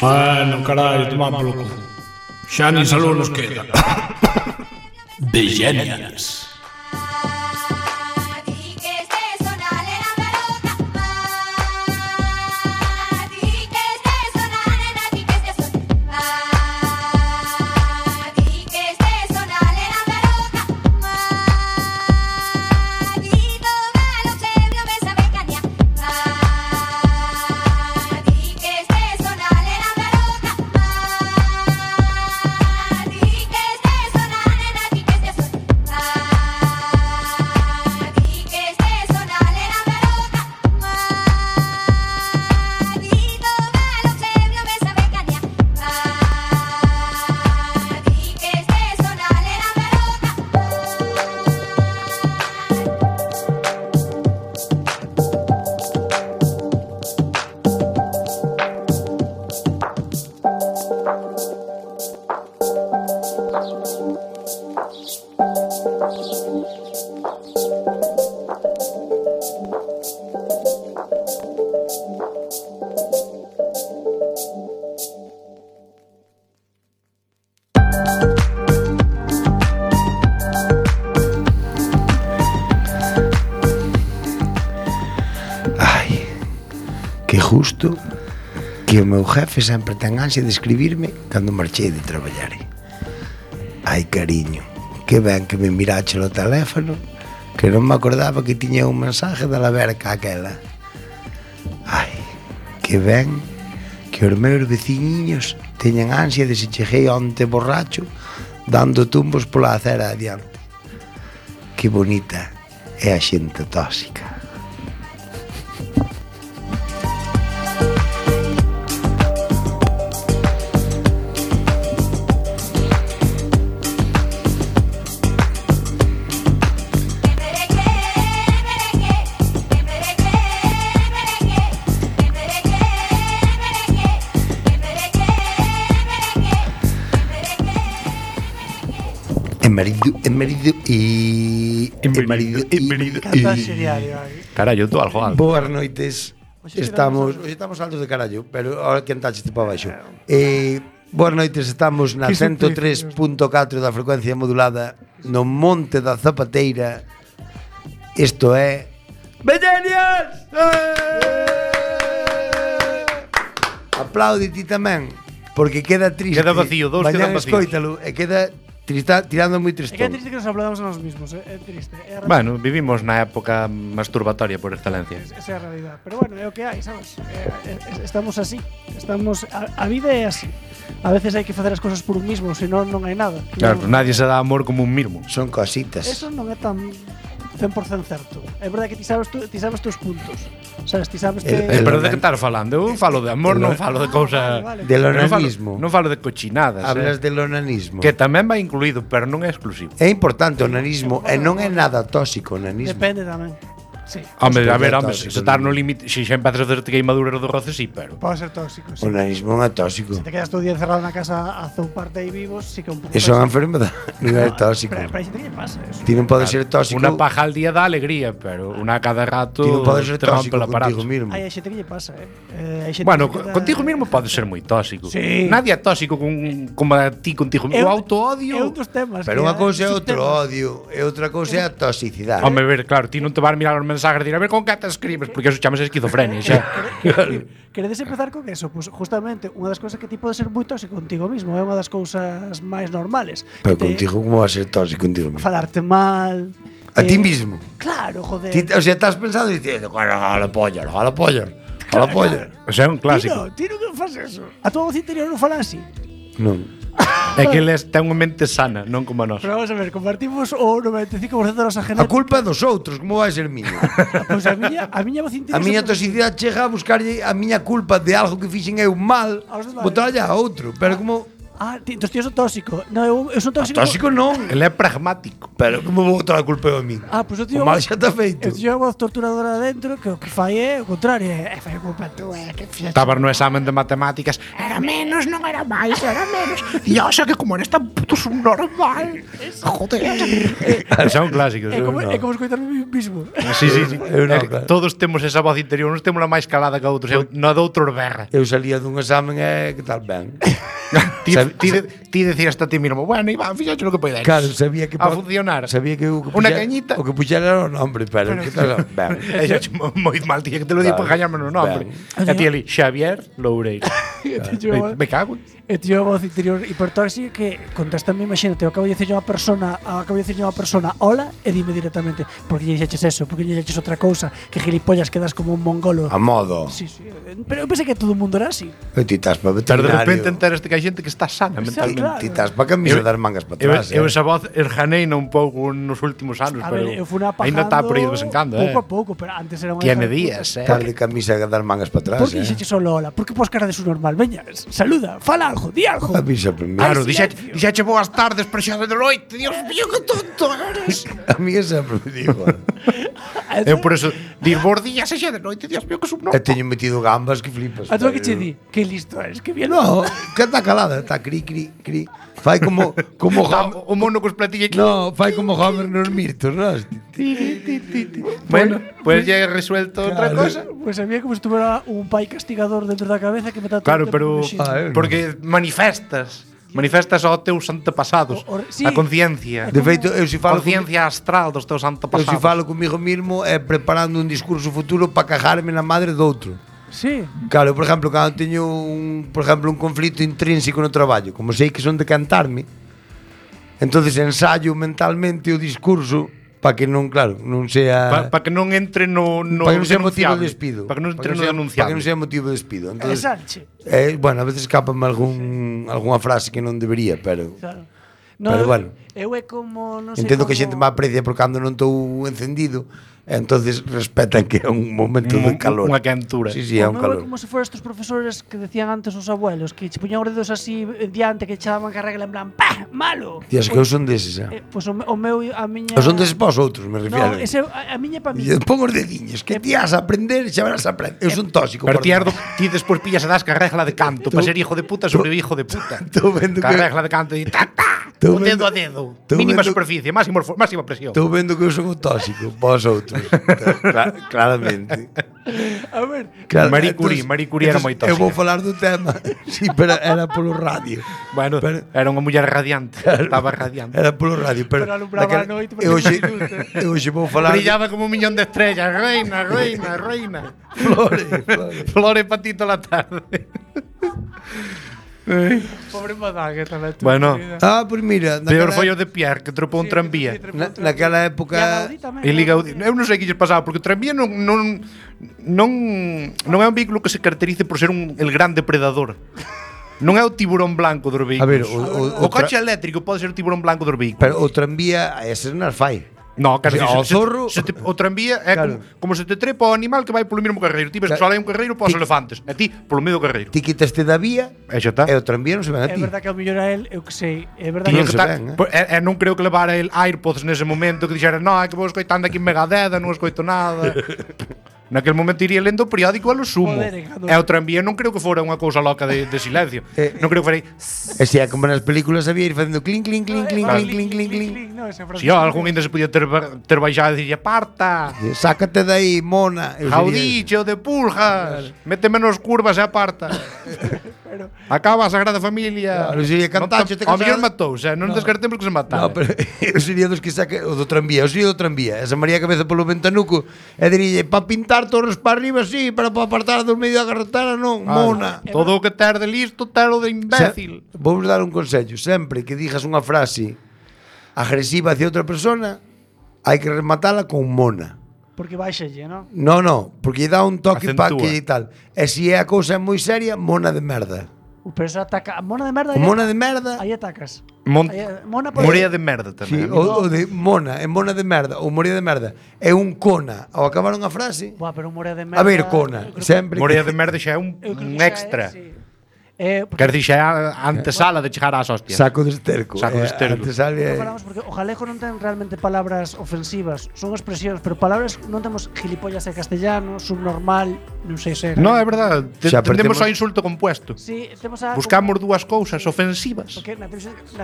Bueno, carallo, tomá polo cu. Xa nin salud nos queda. Begenials. Justo que o meu jefe sempre ten ansia de escribirme cando marchei de traballar. Ai, cariño, que ben que me mirache o teléfono, que non me acordaba que tiña un mensaje da laverca aquela. Ai, que ben que os meus veciñiños teñan ansia de se cheguei onte borracho dando tumbos pola acera adiante. Que bonita é a xente tóxica. Carallo, tú algo alto. Boas noites. Estamos altos de carallo, pero ahora que antaches para baixo. Boas noites, estamos na 103.4 da frecuencia modulada no Monte da Zapateira. Isto é Begenials! Aplaude ti tamén, porque queda triste. Queda vacío, dous quedan vacíos. Escoítalo, e queda tirando moi tristón. É que é triste que nos aplaudamos a nós mesmos, é triste. Bueno, vivimos na época masturbatoria por excelencia. Esa é a realidade. Pero bueno, é o que hai, sabes? Estamos así. A vida é así. A veces hai que facer as cousas por un mismo, senón non hai nada. Claro, pues nadie se dá amor como un mismo. Son cositas. Eso non é tan 100% certo. É verdade que ti sabes teus puntos. Sabes, ti sabes que pero de que estar falando? Eu falo de amor, non falo de cousas. Del onanismo. Non falo de cochinadas. Hablas del onanismo. Que tamén vai incluído, pero non é exclusivo. É importante o onanismo e non é nada tóxico o onanismo. Depende tamén. Sí. Hombre, a ver, se estar no límite, se xa empezas a hacerte queimaduras do roce, sí, pero pode ser tóxico, sí. O onanismo non é tóxico. Se te quedas todo o día encerrado na casa a zouparte aí vivos, sí que é un pouco. Eso é unha enfermedade, non é tóxico. Pero hai xente que lle pasa eso. Ti non podes ser tóxico. Unha paja al día dá alegría, pero unha cada rato ti non podes ser tóxico contigo mismo. Hai xente que lle pasa, Bueno, contigo mismo podes ser moi tóxico. Sí. Nadie é tóxico como a ti contigo mismo. O auto-odio. É un dos temas. Pero unha cousa é outro odio, e outra cousa é a toxicidade. Home, ver, claro, ti non te vas a mirar os mensajes e dir, a ver con que te escribes, porque eso chamas esquizofrenia, xa. Queredes empezar con eso? Pois justamente unha das cousas que ti podes ser moi tóxico contigo mismo, é unha das cousas máis normales. Pero contigo como vas a ser tóxico contigo mismo? Falarte mal. A ti mismo. Claro, joder. O sea, estás pensando dicindo, a la polla. O sea, é un clásico. Ti non faz eso. A tua voz interior non fala así. Non. É que eles ten unha mente sana, non como nós. Pero vamos a ver, compartimos o 95% da nosa genética. A culpa é dos outros, como vai ser miña? Pois a miña voz interior. A miña toxicidade chega a buscarlle a miña culpa de algo que fixen eu mal, botarlle a outro, pero como entonces tío son tóxico. No, eu son tóxico. Tóxico non. Ele é pragmático. Pero como vou botar a culpa eu a min? Pues o tío. O mal xa está feito. Eu tío a voz torturadora dentro que o que fai é o contrario, fai a culpa tú, que fixaste. Estabas no examen de matemáticas, era menos, non era máis, era menos. E xa que como eres tan puto subnormal. Joder. Xa un clásico. É como escoitar mismo. Sí. Eu non, claro. Todos temos esa voz interior, uns temos a máis calada que outros, na de outros berra. Eu salía dun examen e que tal ben. Ti decías a ti mismo, bueno, Iván, fíxate lo que podes. Claro, sabía que a funcionar. Sabía que o que Unha puxera- cañita. O que puxera era o nombre, pero que tal ben. E xa moi mal, tía, que te lo digo Claro. para gañarme no nombre. E ti ali, Xavier Loureiro. Me cago. E tío a voz interior hipertóxica que contéstame, imagínate, eu acabo de dicirlle a unha persona hola e dime directamente porque lle dixeches eso, porque lle dixeches outra cousa, que gilipollas quedas como un mongolo. A modo. Sí, pero eu pensei que todo o mundo era así. E ti estás para Pero veterinario. de repente enteraste que hai xente que está sana mentalmente. Claro. Ti estás para camisa das mangas para atrás. Eu esa voz erjaneina un pouco nos últimos anos, A pero ver, eu fui apagando ainda está por aí de vez en cando, pouco a pouco, pero antes era unha Tiene hija de días, puta. Estar de camisa das mangas para atrás. Por que dixeches solo hola? Por que pos cara de su normal? Veña, saluda, fala algo, di algo. Avisa primeiro. Claro, silencio. dixeche boas tardes, pero xa de noite. Dios mío, que tonto eres. A mí sempre me digo. Eu por eso, dir bons días e xa de noite. Dios mío, que subno. E teño metido gambas que flipas. A tú que che di, que listo eres, que bien. No, que está calada, está cri. Fai como Homer. O mono cos platillos. No, fai como Homer nos mirtos, ¿no? Bueno, pues ya he resuelto otra cosa. Pues a mí como si tuviera un pai castigador dentro da cabeza que me está Claro, pero no. porque manifestas aos teus antepasados, Sí. a conciencia. De feito, eu si falo Conciencia astral dos teus eu antepasados. si falo comigo mismo é preparando un discurso futuro para cajarme na madre do outro. Sí. Claro, por exemplo, cando teño un conflito intrínseco no traballo, como sei que son de cantarme, entonces ensayo mentalmente o discurso para que non, claro, non sea Para que non entre no para que non sea motivo denunciable. de despido. Para que non entre no Para que denunciable. non sea motivo de despido. Entonces, Salche. bueno, a veces escapame algunha frase que non debería, pero Claro. Pero bueno. Eu é como, non sei entendo como... que a xente me aprecia por cando non estou encendido, entonces respetan que é un momento de calor. Unha quentura. Sí, é un O meu é calor. como se fuera estos profesores que decían antes os abuelos, que che poñan os dedos así diante, que echaban que regla en plan, ¡pah! ¡Malo! Tías, que eu son deses, Pois o meu, a miña... Eu son deses para os outros, me refiero. No, ese, a miña pa mí. E pon os dediños, que ti has a aprender, xa verás aprender. Eu son tóxico. Pero por dentro. ti despois pillas e das que a regla de canto para ser hijo de puta sobre hijo de puta. Tô vendo Que a que regla de canto e Tô o dedo vendo- a dedo. tô Mínima vendo- superficie, máxima presión. estou vendo que eu son o tóxico para os outros. Claramente. A ver, Marie Curie era moi tóxica. Eu vou falar do tema. Sí, pero era polo radio. Bueno, Pero- era unha muller radiante, estaba radiante. Era polo radio, pero Pero alumbraba a noite porque eu hoxe vou falar Brillaba como un millón de estrellas, reina. flores. Flores para ti toda la tarde. pobre Madague tamén. Bueno. Pues mira, Peor foi o de Pierre, que tropou un tranvía. naquela época E Liga eu non sei que lles pasaba, porque o tranvía non é un vehículo que se caracterice por ser el gran depredador. Non é o tiburón blanco dos vehículos. A ver, o coche eléctrico pode ser o tiburón blanco dos vehículos. pero o tranvía ese non as fai. No, casi O zorro- o tranvía é Claro. como se te trepa o animal que vai polo mesmo carreiro. Ti ves que só hai un carreiro para os elefantes, e ti polo medio carreiro. Ti quitaste da vía E xa está. e o tranvía non se ven a É ti. verdad que ao mellor a él, eu que sei, é verdad Tiña Non que se estar, ven, non creo que levara el AirPods nese momento que dixera, no, é que vou escoitando aquí Megadeth, non escoito nada. Naquel momento iría lendo o periódico a lo sumo. Joder, E o tranvía non creo que fora unha cousa loca de silencio. Non creo que fora aí. E se é como nas películas había ir facendo clink, clink, clink, clink, Claro. clink, clink, clink, clink. No, ese Si algún ainda se podía ter baixado e dicir, aparta, Sácate de aí, mona. Eu sería- jaudicho de puljas, mete menos curvas e aparta. Acaba a Sagrada Familia. Claro, sería cantacho, te Ao mellor casada. matou, non descartemos que se matara. No, pero eu sería dos que saque o do tranvía, eu sería do tranvía. Esa María Cabeza polo ventanuco e diría, para pintar torres para arriba, sí, pero para apartar do medio da carretera, non, mona. Todo o que ter de listo, ter o de imbécil. Vou dar un consello, sempre que digas unha frase agresiva hacia outra persona, hai que rematala con mona. Porque baixalle, ¿no? No, porque lle dá un toque para Acentúa. que e tal. E se é a cousa moi seria, mona de merda. Pero eso ataca. Mona de merda. O mona de merda, Aí atacas. Mon- Mona por Morea de merda sí, tamén. o de mona, é mona de merda, ou moría de merda, é un cona. Ao acabar unha frase, Buah, pero un morea de merda. a ver, cona, sempre Morea de merda xa é un Eu creo que xa extra. é, sí. Quer dicir, é a antesala de chegar ás hostias. Saco de esterco. Saco de esterco. Antes sale, Falamos porque o galego non ten realmente palabras ofensivas, son expresións, pero palabras non temos gilipollas en castellano, subnormal, non sei se. No, é verdade. Xa Tendemos perdemos- ao insulto compuesto. Sí, temos a Buscamos dúas cousas ofensivas. porque na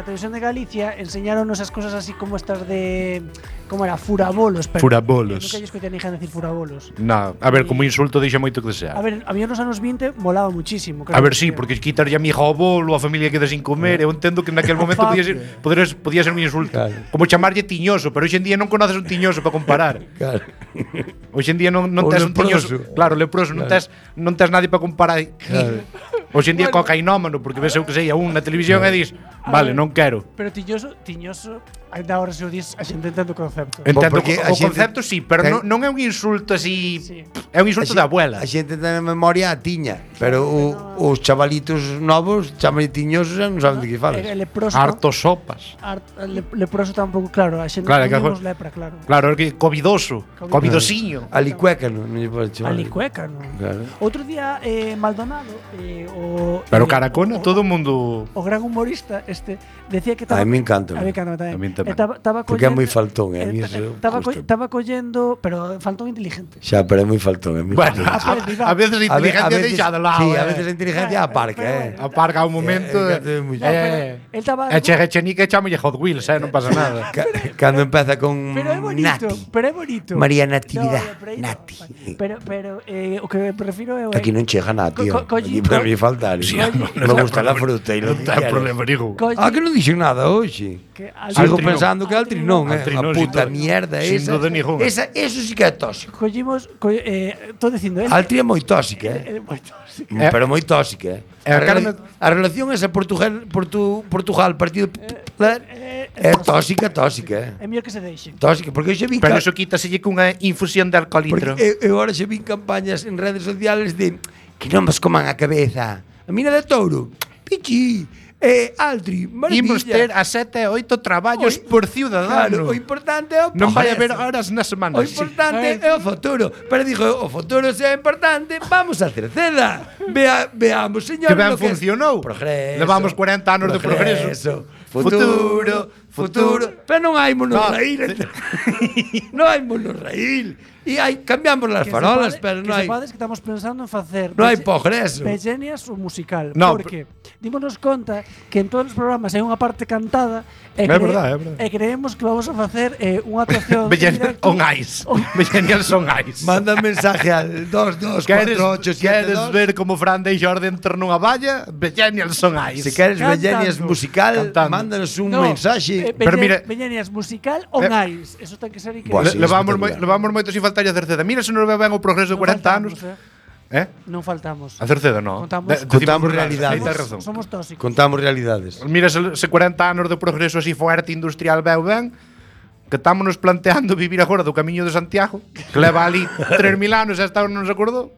televisión de Galicia enseñaronos as cosas así como estas de como era furabolos, pero Furabolos. nunca lle escoitei a ninguén decir furabolos. No, a ver, como insulto deixa moito que desear. A ver, a mí nos anos 20 molaba muchísimo. A ver, sí, porque quitar a mi hija ao bolo, a familia queda sin comer. Eu entendo que naquel momento podía ser un insulto. Claro. Como chamarlle tiñoso, pero hoxe en día non conoces un tiñoso para comparar. Claro. Hoxe en día non O tes un leproso. tiñoso. Claro, leproso, non tes nadie para comparar. Claro. Hoxe en día cocainómano, porque ves eu que sei a un na televisión e dis, vale, non quero. Pero tiñoso, ainda ahora se o dis, a xente entende o concepto. Entendo porque a o xente concepto sí, pero ten- non é un insulto así, Sí. é un insulto de abuela. A xente ten a memoria a tiña, pero os chavalitos novos chaman tiñosos e non saben de que falas. Leproso. Harto sopas. Leproso tampouco, claro, a xente Claro, non que vimos lepra, claro. Claro, é que covidoso, covidosiño. Alicuécano, non lle podes chamar. Alicueca, non? Claro. Outro día Maldonado Pero Caracona, todo o mundo. o gran humorista decía que estaba A mí me encanta. A mí encanta tamén. A min tamén. Estaba Porque é moi faltón, a mí eso gusta. Estaba collendo, pero faltón inteligente. Xa, pero é moi faltón, é moi Bueno, faltón. a veces a inteligencia deixa de lado. Sí, a veces a inteligencia aparca, Aparca un momento. Él estaba E Chenica chamalle Hot Wheels, non pasa nada. Cando empeza con Pero é bonito, Nati. pero é bonito. María Natividad, No, pero aí no. Nati. Pero o que me refiro é Aquí non chega nada, tío. Aquí para mí faltar. Sí, Me gusta la fruta e Non lo ten problema ningún. Ah, que non dixen nada hoxe. que Sigo Altrinón. pensando que Altrinón, Altrinón, a puta sin mierda sin esa. duda ninguna. Eso sí que é tóxico. collimos estou dicindo él Altri é moi tóxica, moito, sí. pero moi tóxica, a Carmen- A relación esa Portugal Partido Popular é tóxica, É mellor que se deixen. tóxica, porque eu xa vi Pero eso quítaselle cunha infusión de alcoholitro. porque eu agora xa vi campañas en redes sociales de que non vos coman a cabeza. A mina de touro, pichi, Altri, maravilla. Imos ter a 7 e 8 traballos por Claro, ciudadano. o importante é o Non vai haber progreso. horas na semana. O importante é o futuro. Pero digo, o futuro se é importante, vamos a Cerceda. Veamos, señor, Que ben lo que es funcionou. Progreso. Levamos 40 anos de progreso. Futuro. Pero non hai monorraíl. Non hai monorraíl. E hai cambiamos as farolas, pero non hai Que estamos pensando en facer non hai progreso. Pellenias o musical, No, porque dímonos conta que en todos os programas hai unha parte cantada e, É verdade, é verdade. e creemos que vamos a facer unha actuación en directo. On ice. Millennials on ice. Manda mensaje al 2248 Queres ver como Fran deixa orden ter nunha valla? Millennials on ice. Se queres Cantando. Bellenias musical, Cantando. mándanos un No, mensaje. Pero mira- Pellenias musical on ice. Eso ten que ser increíble. Buah, sí, espectacular. Levamos moito sin faltar a Cerceda. Mira se non ve ben o progreso de 40 anos. Non faltamos. A Cerceda non. Contamos- Contamos realidades. Aí tes razón. Somos tóxicos. Contamos realidades. Mira se 40 anos de progreso así fuerte industrial veu ben, que estámonos planteando vivir agora do Camiño de Santiago, que leva ali 3000 anos e hasta ahora non se acordou.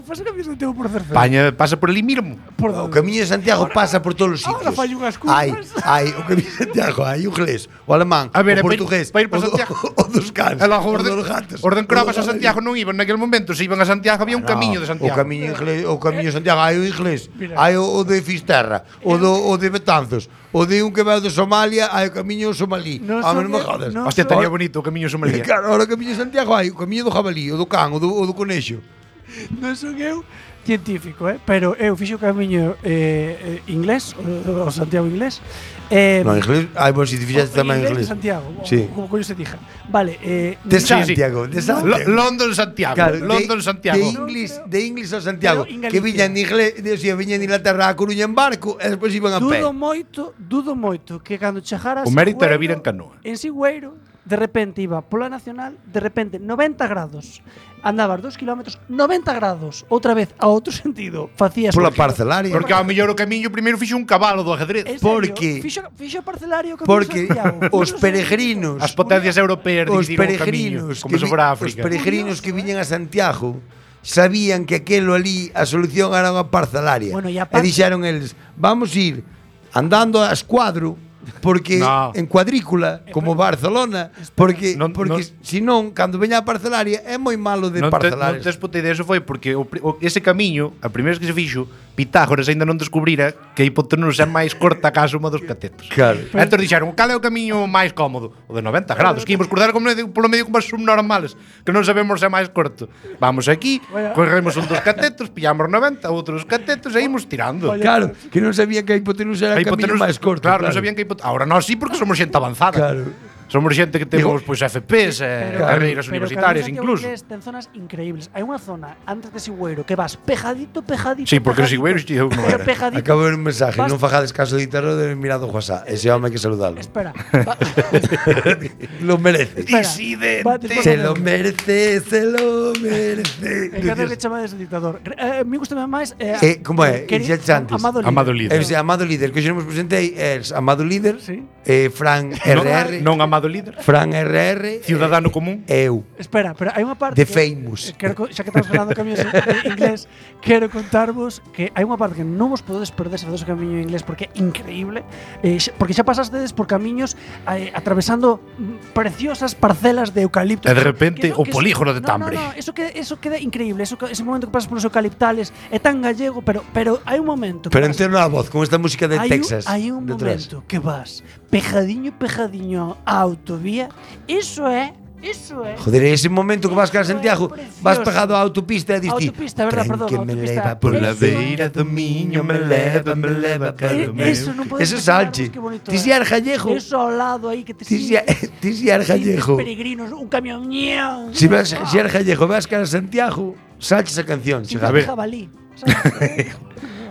Pasa que a mí non tengo por Cerceda. Paña pasa por ali mismo. O Camiño de Santiago pasa por todos os sitios. ahora fai unhas curvas. Hai o Camiño de Santiago, hai o inglés, o alemán, A ver, o portugués, pa ir pa o Santiago. o dos cans, E logo o dos gatos. Orden Crobas a o do- Santiago non iban naquel momento, se iban a Santiago había un camiño de O Santiago. Camiño inglés, o Camiño de Santiago, hai o inglés, Mira. hai o de Fisterra, o de Betanzos, o de un que veu de Somalia, hai o Camiño somalí. Non Ah, son non me eu- jodas. non Hostia, son- estaría bonito o Camiño Somalia. Claro, ahora o Camiño de Santiago hai o Camiño do jabalí, o do can, o do conexo. Non son eu científico, pero eu fixo o camiño inglés, o Santiago inglés. No, inglés, hai vos si te fixaste tamén de inglés. Santiago, Sí. como coño se dija. Vale, De Sí, sí. Santiago, de Santiago. London Santiago. Claro, London Santiago. De Inglés a Santiago, Pero en que Galicia. viñan de inglés, o sea, viñan de Inglaterra a Coruña en barco e despois iban a pé. dudo moito que cando chegaras O mérito era vir en canoa. En Sigüeiro, de repente iba pola nacional, de repente 90 grados. Andabas 2 kilómetros, 90 grados, outra vez a outro sentido. Facías Pola parcelaria. Porque ao mellor o camiño primeiro fixo un cabalo do ajedrez. En serio, porque- fixo parcelario que Porque Santiago. os peregrinos, As potencias europeas os dividiron o camiño, peregrinos como se fora os África. peregrinos que viñan a Santiago sabían que aquelo ali a solución era unha parcelaria. Bueno, e e aparte- dixeron eles, vamos ir andando a escuadro porque No. en cuadrícula como Barcelona, porque Non- porque non- senón cando veña a parcelaria é moi malo de Non parcelar. tes puta idea, eso foi porque ese camiño, a primeira vez que se fixo, Pitágoras ainda non descubrira que a hipotenusa é máis corta que a suma dos catetos. Claro. Entón dixeron, cal é o camiño máis cómodo? O de 90 grados, que imos cruzar polo medio como as subnormales, que non sabemos se é máis corto. Vamos aquí, corremos un dos catetos, pillamos 90, outros catetos e imos tirando. Claro, que non sabía que a hipotenusa era o camiño máis corto. Claro, non sabían que ahora nós sí porque somos xente avanzada. Claro. Somos xente que temos pois FPs, carreiras universitarias incluso. Pero ten zonas increíbles. Hai unha zona antes de Sigüeiro que vas pejadito. Sí, porque o Sigüeiro eu non era. Acabo de ver un mensaje, non fajades caso de Itaro de mirado WhatsApp. Ese home hai que saludalo. Espera. Lo merece. Disidente. Se lo merece, se lo merece. Encanta que chamades o dictador. Me gusta máis como é? Xa antes. Amado líder. Amado líder, que xa nos presentei é Amado líder, Fran RR. Non amado líder. Fran RR. Ciudadano común. Eu. Espera, pero hai unha parte The Famous. Xa que estamos falando de camiños en inglés, quero contarvos que hai unha parte que non vos podedes perder se facedes o camiño en inglés porque é increíble, porque xa pasastedes por camiños atravesando preciosas parcelas de eucalipto. E de repente o polígono de Tambre. No, eso queda increíble, ese momento que pasas polos eucaliptales é tan gallego, pero hai un momento. Pero entero a voz con esta música de Texas. Hai un momento que vas pejadiño a autovía, eso é. Joder, ese momento que vas cara a Santiago, vas pegado á autopista e diste autopista, verdad, perdón, que me autopista. leva por la beira do miño, me leva cara meu. Eso non podes. Eso salche. Ti si eres gallego. Eso ao lado aí que te Ti si eres gallego. Peregrinos, un camión. Si eres gallego, vas cara a Santiago, salche esa canción, a ver. Jabalí.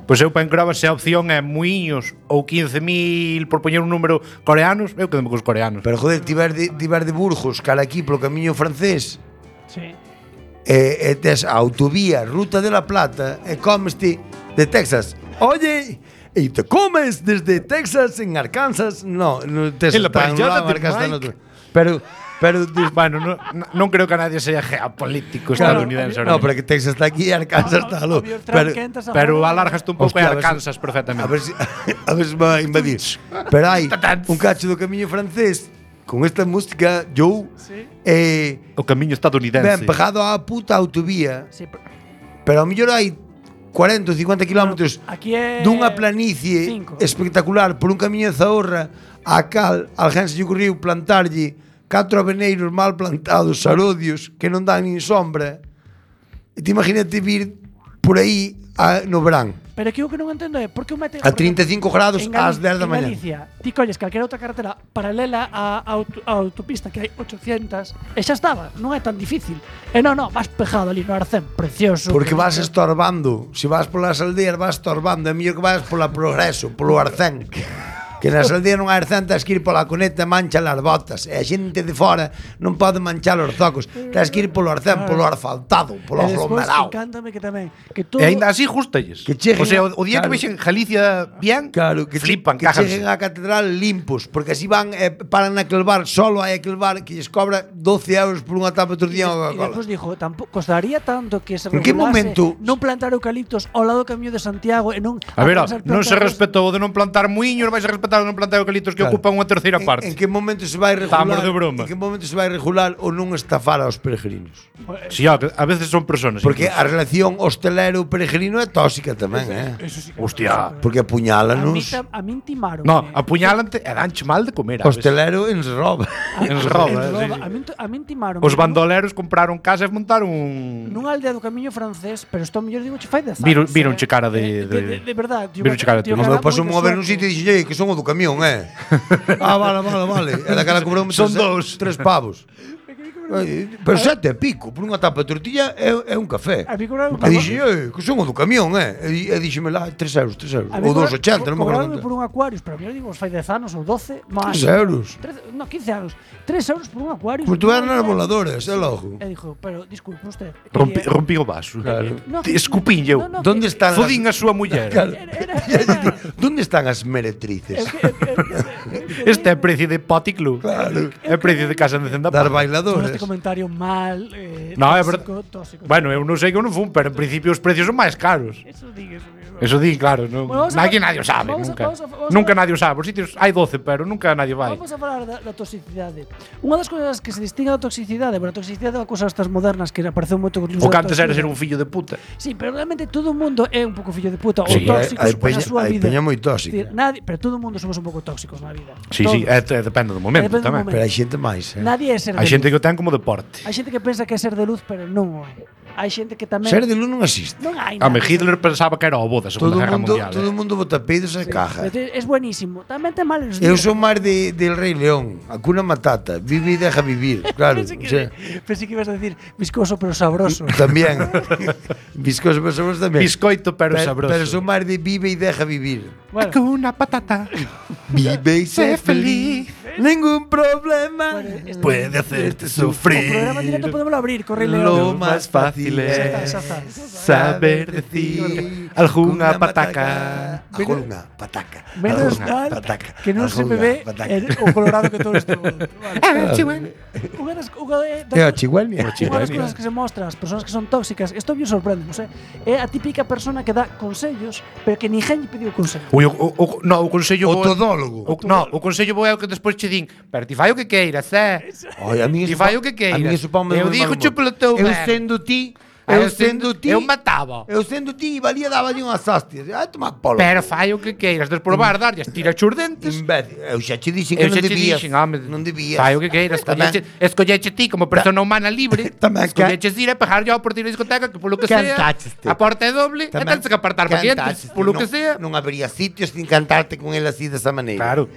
Pois eu para encrova se a opción é muiños ou 15.000 por poñer un número coreanos, eu quedome cos coreanos. Pero joder, ti vas de Burgos cara aquí polo camiño francés. Sí. E tes a autovía Ruta de la Plata e comeste de Texas. Oye, e te comes desde Texas en Arkansas. No, tes en la parrillada de Mike. Pero bueno, non creo que a nadie sea geopolítico estadounidense. No, pero que Texas está aquí e Arkansas está lo. Pero alargaste un pouco e Arkansas perfectamente. A ver si va a invadir. Pero hai un cacho do camiño francés con esta música, Joe. O camiño estadounidense. Ben pegado á puta autovía. Pero ao mellor hai 40 ou 50 kilómetros dunha planicie espectacular por un camiño de Zahorra a cal alguén se lle ocurriu plantarlle 4 aveneiros mal plantados, sarodios, que non dan nin sombra. E te imagínate vir por aí no verán. Pero que o que non entendo é por que o mete a 35 grados ás 10 da mañá. En Galicia, ti colles calquera outra carretera paralela á autopista que hai 800 e xa estaba, non é tan difícil. E non, vas pejado ali no arcén, precioso. Porque vas estorbando. Se vas polas aldeas vas estorbando, é mellor que vas pola Progreso, polo arcén. Que nas aldeas non hai arcén, tens que ir pola coneta, mancha as botas. E a xente de fora non pode manchar os zocos. Tens que ir polo arcén, polo asfaltado, polo aglomerado. Encántame que tamén que todo. E ainda así justalles. O sea, o día que vexen Galicia bien, flipan, que cheguen á catedral limpos, porque así van paran naquel bar, solo hai aquel bar que lles cobra 12 euros por unha tapa de tortilla e despois dijo, costaría tanto que se regulase non plantar eucaliptos ao lado do camiño de Santiago e non. A ver, non se respetou de non plantar muiños, vais a respetar non plantar eucaliptos que ocupan unha terceira parte. En que momento se vai regular? Estamos de broma. En que momento se vai regular ou non estafar aos peregrinos? Si, a veces son personas. Porque a relación hostelero-peregrino é tóxica tamén, Sí, hostia. Porque apuñálanos. A min timaron. No, apuñálante e danche mal de comer. Hostelero ens roba. Ens roba, A min timaron. Os bandoleros compraron casa e montaron nunha aldea do camiño francés, pero isto mellor digo che fai 10 anos. Vironche cara de verdade. Vironche cara de. Nos pasou a ver nun sitio e dixen, que son o do camión, vale. E daquela cobrou son 2, 3 pavos. Pero 7 e pico por unha tapa de tortilla é un café. E dixen, que son o do camión, E dixeme lá 3 euros. Ou 2,80, non me acordo. Por un Aquarius, pero mellor digo, fai 10 anos ou 12, máis. 3 euros. No, 15 anos. 3 euros por un Aquarius. Pois tuveran as voladoras, é logo. E dixo, pero disculpe usted. Rompí o vaso. Escupín eu. Onde están? Fodín a súa muller. Onde están as meretrices? Este é precio de Poti Club. Claro. É precio de casa de Cenda. Das bailadoras. Este comentario mal, no, é verdade. Tóxico. Bueno, eu non sei que eu non fun, pero en principio os precios son máis caros. Eso digue, Eso di, claro, non. Bueno, Nadie o sabe, nunca nadie o sabe. Os sitios hai 12, pero nunca nadie vai. Vamos a falar da toxicidade. Unha das cousas que se distingue da toxicidade, a toxicidade é unha cousa estas modernas que apareceu moito con O que antes era ser un fillo de puta. Sí, pero realmente todo o mundo é un pouco fillo de puta ou Sí, tóxicos na súa vida. Hai peña moi tóxica. Pero todo o mundo somos un pouco tóxicos na vida. Sí, depende do momento tamén. Pero hai xente máis, Nadie é ser de Hai xente luz. que o ten como deporte. Hai xente que pensa que é ser de luz, pero non o é. Hai xente que tamén Ser de luz non existe. non hai A nada. Hitler pensaba que era o bo da Segunda Guerra Mundial. Todo o mundo bota peidos e caja. Es buenísimo. Tamén ten males Eu días. son máis del Rei León, Hakuna Matata, vive e deja vivir, claro. Pensé o sea, que ibas a decir viscoso pero sabroso. tamén. Viscoso pero sabroso tamén. Biscoito pero sabroso. Pero son máis de vive e deja vivir. Bueno, Hakuna Patata. Vive e sé feliz. Ningún problema Puede hacerte o programa sufrir. directo podemos abrir, corre Lo León. más fácil Xa es está. Saber decir alguna pataca. Alguna pataca. Menos alguna mal pataca, que non se me alguna ve pataca. o colorado que todo isto. Unha das É o Chihuahua. Unha das cousas que se mostra as persoas que son tóxicas, isto me sorprende, non sei, é a típica persona que dá consellos, pero que ninguén lle pediu consello. O consello O bo. todólogo. O consello bo é o que despois che din, pero ti fai o que queiras, Ai, a mí Ti fai o que queiras. A mí eso ponme Eu moi digo mal che humor. polo teu Eu ver. sendo ti, Eu mataba. Eu sendo ti, valía daballe unhas hostias. Ai, toma polo. Pero fai o que queiras, despois vas darlle, tira os dentes. Imbécil. Eu xa che dixen que Eu non xa te debías. dixen, home, Non debías. fai o que queiras, Tamén- escolleche ti como persona humana libre. Tamén Escolleches ir a pegar yo por ir a discoteca que polo que sea, Cantácheste. a porta é doble, e Tamén tens que apartar para clientes, cantaste, polo que non- sea. Non habería sitios sin cantarte con el así desa maneira. Claro.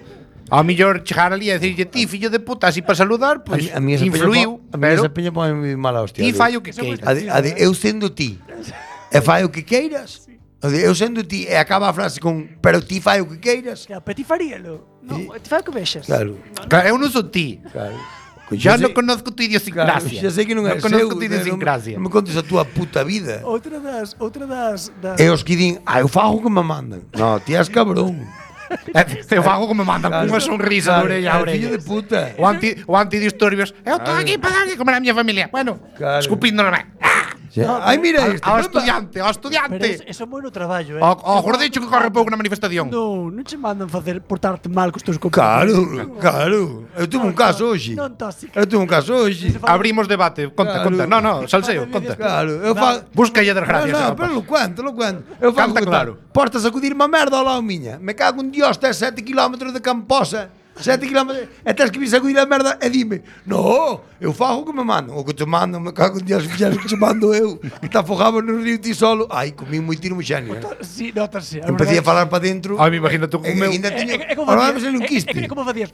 Ao millor chegar ali e dicirlle ti, fillo de puta, así para saludar, pois A mí esa influiu, a mí pero esa peña pone moi mala hostia. ti fai o que queiras. Eu sendo ti e fai o que queiras. Eu sendo ti e acaba a frase con pero ti fai o que queiras. Que a petit faríalo. Non, ti fai o que vexas. Claro. Claro, eu non son ti. Claro. Ya non conozco tu idiosincrasia. Xa sei que non é conozco seu, tu idiosincrasia. Non me contes a túa puta vida. Outra das E os que din, eu fago o que me mandan. No, ti és cabrón. Eu fago como me mandan con unha sonrisa de orella a orella. Fillo de puta. O antidisturbios. Eu estou aquí para darlle comer a miña familia. Bueno, Claro. escupindo no me. Ai, mira este. Ao pamba. ao Pero estudiante. eso é moi no traballo, Ao gordicho que corre pouco na manifestación. Non che mandan facer portarte mal cos teus compañeros. Claro. Eu tuve un caso hoxe. Non tóxico. Eu tuve un caso hoxe. Abrimos debate. Conta, Claro. conta. No, salseo, conta. Claro, eu fago. Busca lle desgracias. No, rapaz. pero lo cuento. Eu fago Canta claro. Portas a acudir má merda ao lado miña. Me cago en Dios, tes 7 km de Camposa. 7 km e tens que vir sacudir a merda e dime, no, eu fago o que me mando. O que te mando, me cago en Dios, fixeres o que te mando eu. Que te afogaba no río ti solo. Ai, comí moi tiro moi xenio. Sí, notase. Empecé a falar para dentro. Ai, me imagino tú con o meu. Ainda teño. É como Ahora facías- me sale un quiste. É como facías.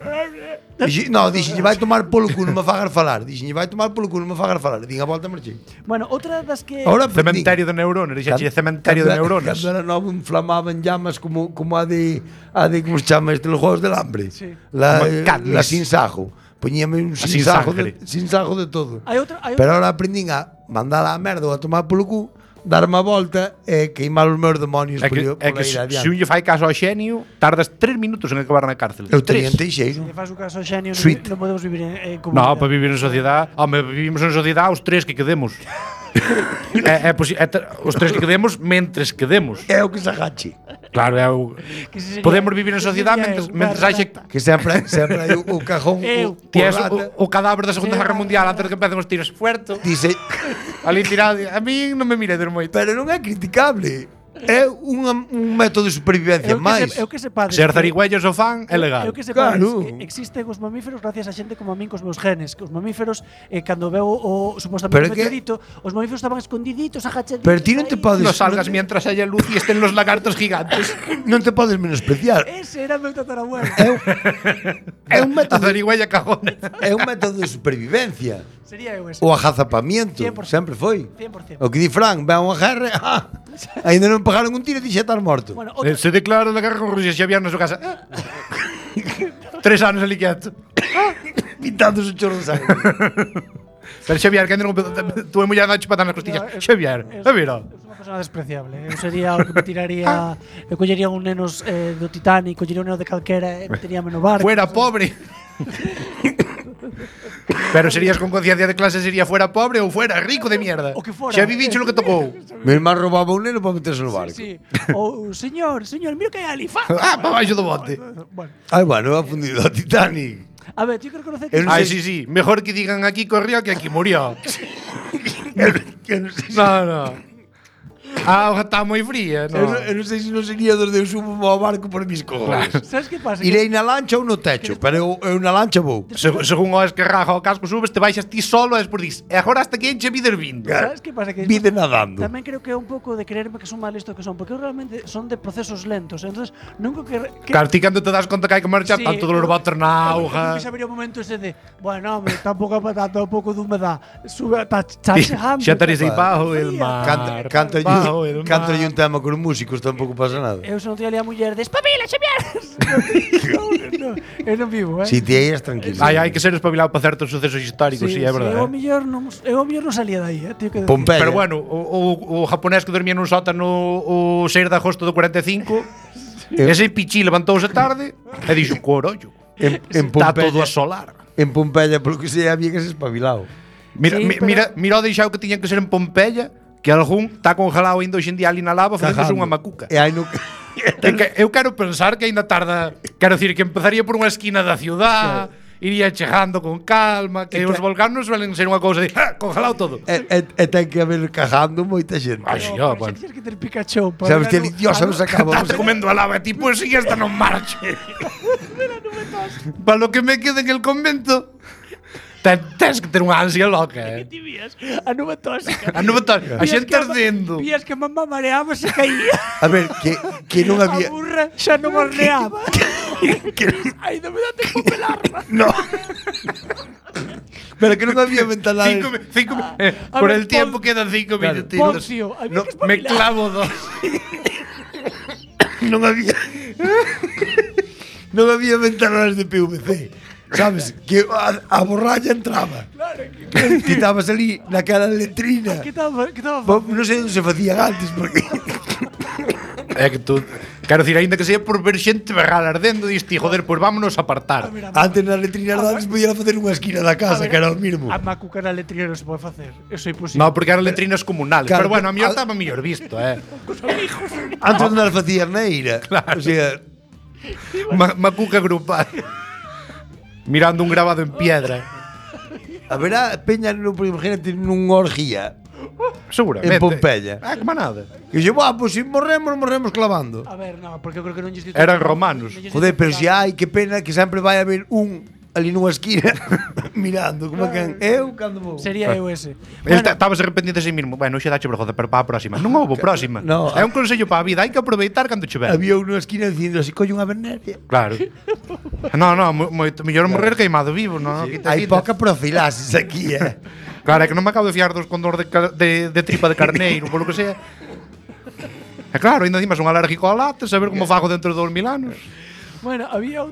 No, dixenlle, vai tomar polo cu, non me fagar falar. Dixenlle, vai tomar polo cu, non me fagar falar. Din a volta marchei. Bueno, outra das que Ahora Cementerio de neuronas, dixache cementerio de neuronas. Cando era novo inflamaban llamas como a de como se chama este, los juegos del hambre. Sí. La sin sajo. Poñíame un sin sin sajo de todo. hai outra Pero ahora aprendín a mandar a merda ou a tomar polo cu, darme a volta e queimar os meus demonios É que se un lle fai caso ao xenio, tardas 3 minutos en acabar na cárcel. Eu teña 3. teixeiro. que faz o caso ao xenio, Sweet. non podemos vivir en No, comunidade. para vivir en sociedade, vivimos en sociedade os 3 que quedemos. Os 3 que quedemos mentres quedemos. É o que se agache. Claro, é o Que ese sería- podemos vivir en ese sociedade sería mentres unha haxe rata. Que sempre hai o cajón Eu. ti és rata. o cadáver da Segunda Guerra Mundial antes de que empecen os tiros fuerto. Dice, Ali tirado, a mí non me miredes moito. pero non é criticable. É un método de supervivencia máis. Eu que sepades. Ser que- zarigüellos o fan é legal. Eu que sepades Claro. que existen os mamíferos gracias a xente como a min cos meus genes, que os mamíferos cando veo o Pero supostamente é que- meteorito, os mamíferos estaban escondiditos, agachaditos. Pero ti non te aí. podes No salgas non te- mientras haya luz y estén los lagartos gigantes. non te podes menospreciar. Ese era o meu tatarabuelo. É un A método zarigüeya cajona. é un método de supervivencia. Sería eu ese. O agazapamiento, 100%. sempre foi. 100%. O que di Fran, ve a unha guerra, ainda non pegaron un tiro e ti xa estás morto. Bueno, outra, Se declara la guerra con Rusia, Xavier na súa casa. 3 anos ali quieto. Pintando o chorro de sangue. Pero Xavier, que non tuve muller dando chupata nas costillas. No, Xavier, mira. é unha persona despreciable. Eu sería o que me tiraría, eu collería un nenos do Titanic, collería un neno de calquera e me teríame no barco. Fuera pobre. Pero serías con conciencia de clase, sería fuera pobre ou fuera rico de mierda. O que fora. Xa vivicho lo que tocou. Mi irmán roubaba un neno para meterse no barco. Sí. O señor, mira que hai ali. Ah, para baixo do bote. Bueno, Ai, bueno, ha fundido a Titanic. a ver, yo creo que conocer Eu non Ay, sei- sí, sí. Mejor que digan aquí corrió que aquí murió. Eu non sei se- No, no. A auga está moi fría, no. eu non sei se non sería dos de eu subo ao barco por mis cojones. ¿Sabes qué pasa? Irei na lancha ou no techo, pero eu na lancha vou. Según o esquerraja o casco subes, te baixas ti solo e despois dis, e agora hasta que enche vides vindo. ¿Sabes qué pasa? Que Vide nadando. tamén creo que é un pouco de creerme que son mal listo que son, porque eu realmente son de procesos lentos, entonces nunca que Claro, ti cando te das conta que hai que marchar, Sí, tanto dolor botar na auga. Que sabería o momento ese de, bueno, hombre, tampouco para tanto, un pouco de humedad. Sube, está chachejando. Xa estaréis aí bajo el Canta, mar. canta Bajo el canta mar. un tema con músicos, tampouco pasa nada. Eu son tía a muller de espabila, Xavier. no, eu non vivo, Si ti aí és tranquilo. Hai que ser espabilado para certos sucesos históricos, sí, é Eu verdade. ao mellor non salía de aí, tío que decir. Pompeia. Pero bueno, o japonés que dormía nun sótano o 6 de agosto do 45, ese pichí levantouse tarde e dixo, corollo, En está Pompeia, todo a solar. en Pompeia, polo que sei, había que ser espabilado. Mira, Sí, mira o deixado que tiñan que ser en Pompeia, que algún está congelado ainda hoxe en día ali na lava facéndose unha macuca. E hai no... Eu quero pensar que aínda tarda, quero decir que empezaría por unha esquina da ciudad, iría chegando con calma, que os volcanos suelen ser unha cousa de congelado todo. e ten que haber cagando moita xente. Ai, sí, Pero bueno. xa tienes que ter Pikachu para Sabes que el Dios nos acaba. Estás comendo a lava e ti, pues si esta non marche. Para lo que me quede en el convento, tens que ter unha ansia loca, ti vías a nube tóxica. A nube tóxica, a xente ardendo. Vías que mamá mareaba se caía. A ver, que non A había... burra xa non horneaba. Ai, non me dá tempo pelarla. No. Pero que non había ventanales. Por ver, el tiempo Pon- quedan 5 minutitos. Poncio, había que Me espabilar. clavo dos. Non había... non había ventanales de PVC. Sabes? Que a borralla entraba. Ti estabas ali naquela letrina. Que estaba Non sei onde se facían antes, porque... É que tú, quero dicir, aínda que sea por ver xente berrar ardendo, diste, joder, pois vámonos a apartar. Antes nas letrinas antes podían facer unha esquina da casa, que era o mismo. A macuca na letrina non se pode facer. Eso é imposible. No, porque eran letrinas comunales. Claro, Pero bueno, a mellor al- estaba mellor visto, Antes non as facían na ira. O sea, Macuca grupal. Mirando un grabado en piedra. a verá peña no imagínate nunha orgía Seguramente. en Pompeia. Ah, que manada. E dixo, pois se morremos clavando. A ver, no, porque eu creo que non lles dito. Eran romanos. Joder, pero si hai, que pena que sempre vai haber un ali nunha esquina mirando como que eu cando vou. Sería eu ese. El estaba arrependido de sí mismo. Bueno, xa dache vergoza, pero para a próxima. Non houve próxima. No. É un consello para a vida, hai que aproveitar cando chover. Había un nunha esquina dicindo así, colle unha veneria. Claro. No, moito mellor morrer queimado vivo, no? Hai poca profilaxis aquí, Claro, é que non me acabo de fiar dos con dor de tripa de carneiro, polo que sea. E claro, ainda dimas un alérgico ao látex, a ver como fago dentro de 2000 anos. Bueno, había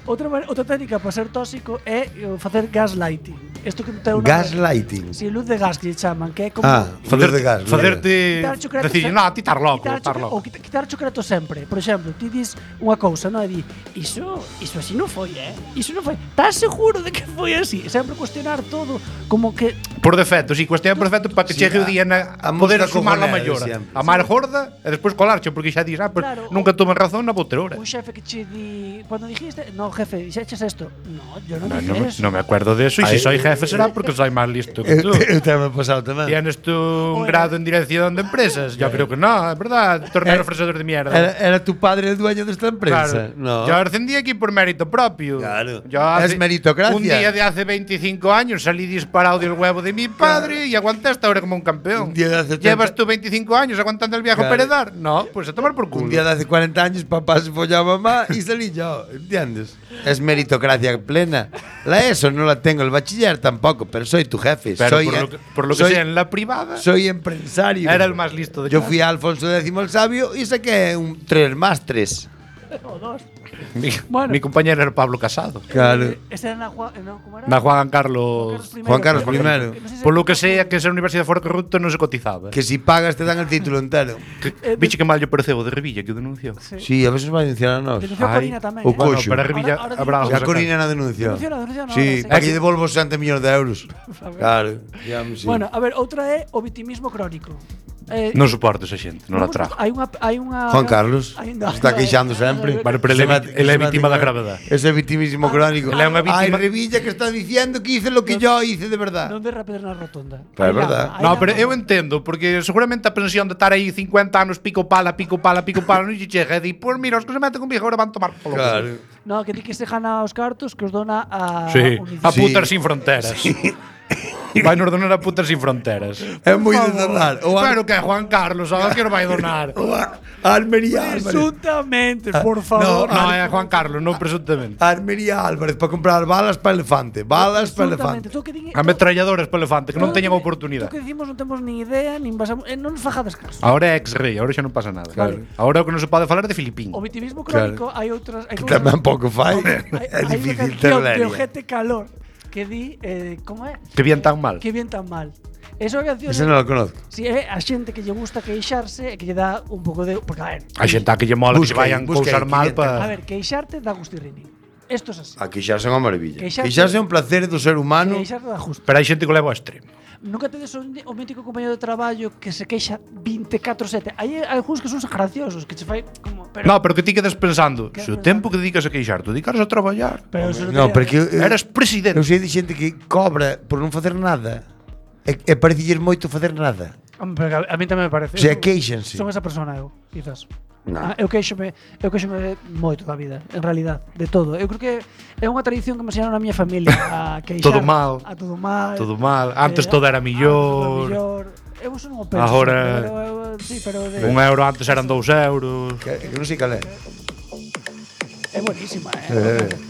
outra técnica para ser tóxico é facer gaslighting. Isto que ten unha Gaslighting. Si, luz de gas que lle chaman, que é como Luz de gas. Facerte quitar chocolate decir, sempre- no, ti tar loco, quitar tar chocolate- loco. ou quitar chocolate sempre. Por exemplo, ti dis unha cousa, non? E di, iso así non foi, Iso non foi. Estás seguro de que foi así? Sempre cuestionar todo, como que Por defecto, si, cuestión por defecto para que Sí, chegue o día a poder mosca asumar a cojonera maior. sempre. A máis gorda e despois colarche, porque xa dis, pues, Claro, nunca tomen razón na boterora. un xefe que che di, cuando dijiste, no, jefe, dixeches esto. No, yo no, No, dije eso. no me acuerdo de eso, y si soy jefe será porque soy más listo que tú. Eu tamén pasado tamén. ¿Tienes tú un grado en dirección de empresas? Yo creo que no, es verdad. Tornero ofrecedor de mierda. Era tu padre el dueño desta empresa. Claro. No. Yo ascendí aquí por mérito propio. Claro. Yo Es meritocracia. Un día de hace 25 años salí disparado del huevo de mi padre y aguanté hasta ahora como un campeón. Un día de hace 30. ¿Llevas tú 25 años aguantando el viejo Claro. Peredar? No, pues a tomar por culo. Un día de hace 40 años papá se follaba a mamá y salí yo, ¿entiendes? Es meritocracia plena. La ESO no la tengo, el bachiller tampoco, pero soy tu jefe. Pero soy, por lo que soy- sea, en la privada soy empresario. era el más listo de Yo clase. fui a Alfonso X el Sabio y saqué un 3 más 3. O dos. Mi, Bueno. mi compañero era Pablo Casado. Claro. Ese era ¿cómo era? Na Juan Carlos. Juan Carlos I. No sé si- Por lo que sea, que esa universidade fora corrupto non se cotizaba. Que si pagas te dan el título entero. Viche que mal lle pareceu o de Revilla que o denunciou. Sí, a veces vai denunciar a nós. Denunciou Ai. Corina tamén. O Bueno, coxo. pero a Revilla Ahora habrá digo- algo A sacar. Corina na denuncia. Denunciou, Sí, ahora, para que lle devolvo 60 millóns de euros. Claro, ya me sí. Bueno, a ver, outra é o vitimismo crónico. Non soporto esa xente, non la trago. Hai unha Juan Carlos está queixando sempre. Vale, pero ele é vítima da gravedad. Ese victimismo crónico. Él é unha Ay, vítima- Revilla que está diciendo que hice lo que yo hice de verdad. Non derra pedra na rotonda. Pero é Hai verdad. lama, hai No, lama. pero eu entendo, porque seguramente a pensión de estar aí 50 anos pico pala, non lle chega e di, pois mira, os que se meten conmigo agora van tomar polo. Claro. No, que di que se gana os cartos que os dona a Sí, a Unicef. putas sin fronteras. Vai nos donar a putas sin fronteras. É moi de donar. O Pero que é Juan Carlos, ahora que nos vai donar. Almería Álvarez. Presuntamente, por favor. No, é Juan Carlos, non presuntamente. Almería Álvarez para comprar balas para elefante. Balas para Presuntamente. elefante. Tú que din- Ametralladoras para elefante, que non todo teñan que- oportunidade. Tú que dicimos non temos ni idea, nin basamos, non nos fajades caso. Ahora é ex-rei, ahora xa non pasa nada. Claro. Ahora o que non se pode falar é de Filipín. O vitimismo crónico hai outras, hai Que tamén pouco fai. É hai difícil unha canción de terleria. Ojete Calor que di, como é? Que bien tan mal. Que bien tan mal. Esa canción Ese non lo conozco. Si é a xente que lle gusta queixarse e que lle dá un pouco de, porque a ver, A xente a que lle mola que se Busca aí, vayan busca cousar aí, mal que a para... ver, queixarte dá gustirrini. Isto é así. A queixarse é unha maravilla. Queixarse- Queixarse é un placer do ser humano. Queixarte dá gusto. Pero hai xente que o leva ao extremo. Nunca tedes o mítico compañero de traballo que se queixa 24/7. Hai algúns que son graciosos, que che fai como, pero No, pero que ti quedes pensando, Que se o pensando? tempo que dedicas a queixar, tú dedicaras a traballar. pero eso No, te- porque Eras presidente. eu sei de xente que cobra por non facer nada. E parecilles moito facer nada. Hombre, pero a mí tamén me parece. O sea, Eu queixanse. Son esa persona eu, quizás. No. Eu queixome moito da vida, en realidad, de todo. Eu creo que é unha tradición que me enseñaron a miña familia a queixar. Todo mal. A todo mal. Todo mal. Antes todo era millor. Eu eso non o penso. Agora- sí, pero de, Un euro antes eran 2 euros. Que non sei cal é. é buenísima,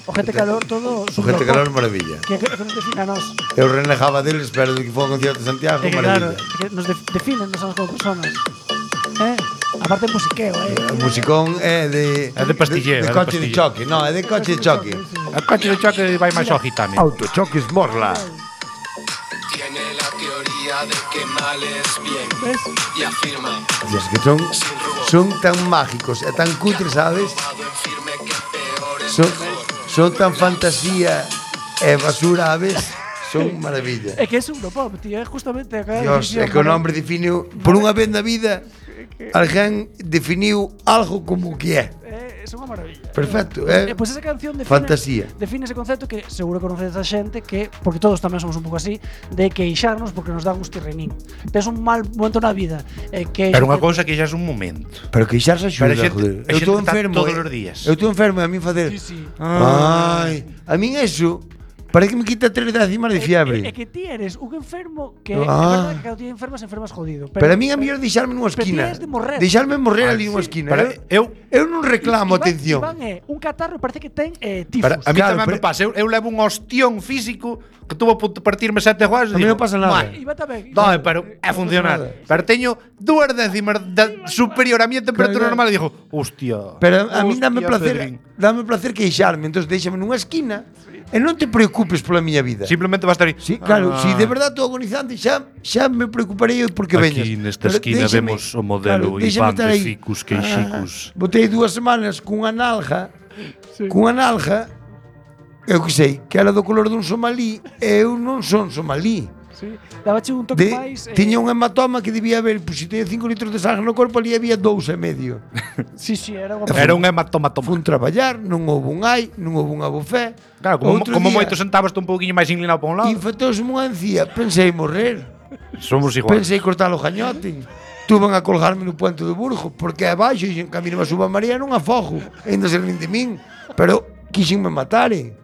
O gente calor todo. O gente calor é maravilla. Que nos define a nós. Eu renegaba deles, pero de que foi ao concierto de Santiago, É que claro, maravilla. que nos definen nos como personas. Aparte musiqueo, O musicón é de... É de pastillero, De é de coche de pastillero. choque, no, é de coche de choque. A coche de choque vai máis ao gitano. Autochoques Morla. Tiene la teoría de que mal es bien ¿Ves? y afirma Dios, que son tan mágicos e tan cutres, sabes? Pado en firme que peor es Son, mejor. son tan fantasía e basura a vez. Son maravilla. É que é Europop, tío, é justamente a Dios, é que o nombre definiu por unha vez na vida alguén definiu algo como o que é. É unha maravilla. Perfecto, é Pois esa canción define, fantasía. define ese concepto que seguro que conocedes a xente que, porque todos tamén somos un pouco así, de queixarnos porque nos dá gustirrinín. Tes un mal momento na vida, que Pero unha cousa que xa é un momento. Pero queixarse axuda, Pero a xente- joder. a Eu xente estou está enfermo. todos os días. Eu estou enfermo e a mí facer. Sí, sí. Ai, a min eso parece que me quita 3 décimas de fiebre. É que ti eres un enfermo que é Ah. verdade que cando ti enfermas jodido. Pero a min a mellor deixarme nunha pero ti esquina. és de morrer. Deixarme morrer ali nunha esquina. Pero eu non reclamo atención. Iván é un catarro, parece que ten tifos. Pero a mí Claro, tamén me pero- pasa, eu levo un ostión físico que tuvo a punto de partirme 7 A juegos. mí non pasa nada. Iván tamén. No, pero é funcional. nada. Pero teño 2 décimas superior a miña temperatura Claro. normal e digo, hostia. Pero a mí dame hostia, placer queixarme, entonces déixame nunha esquina e non te preocupes pola miña vida. Simplemente vas a estar aí. Sí, claro, Ah. si de verdade estou agonizante xa me preocuparei eu porque Aquí veñas. nesta Pero esquina déixame- vemos o modelo déixame Iván estar de aí. Ficus Queixicus. Botei 2 semanas cunha nalga, eu que sei, que era do color dun somalí, e eu non son somalí. Sí. Dabache un toque máis. Tiña un hematoma que debía haber, pois se teña 5 litros de sangre no corpo, ali había 2,5. Sí, sí, era unha Era un hematoma. Fun traballar, non houve un ai, non houve unha bofé. Claro, como, Outro como día, moito sentabas un pouquiño máis inclinado para un lado. infectouse unha encía, pensei morrer. Somos igual. Pensei cortar o gañote. Tuven a colgarme no puente do Burgo, porque abaixo e en camino a suba María non afogo, ainda se rin de min, pero quixenme matare.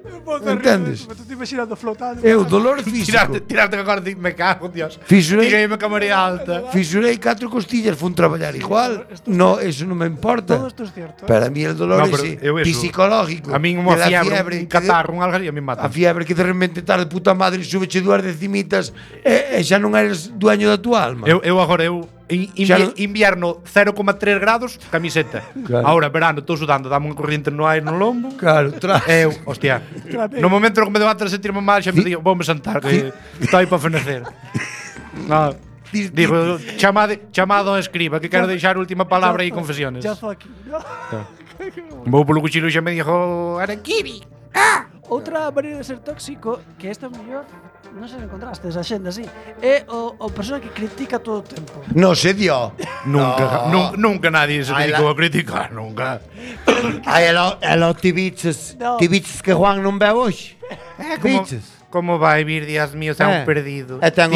Entendes? Me estou imaginando flotando. Eu, dolor físico. Tirarte agora de me cago, Dios. Fisurei, Dígame que a María alta. fisurei 4 costillas, fun traballar igual. No, eso non me importa. Todo isto é cierto. Para mí el dolor No, pero ese eu eso- psicológico. A min unha de la fiebre, un que de- catarro, un algo e a mí mata. A fiebre que de repente tarde puta madre súbeche 2 decimitas e xa non eres dueño da tua alma. Eu agora eu Invierno 0,3 grados, camiseta. Claro. Ahora, verano, estou sudando, dame unha corriente no aire no lombo. Claro, Eu, hostia. No momento no que me levanto a sentirme mal, xa me digo, voume sentar, que estou aí para fenecer. No. Digo, chamado a escriba, que quero deixar a última palabra e confesiones. Ya fue aquí. Vou polo cuchillo e xa me dixo, Araquibi. Outra maneira de ser tóxico, que esta é mellor, non sei se encontraste esa xenda así, é o persona que critica todo o tempo. No se dio. Nunca nadie se Ai, dedicou a criticar, nunca. Ai, elo ti biches. No. Ti biches que Juan non bebe hoxe. Biches. Como vai vir, Dios mío, xa un perdido. E ten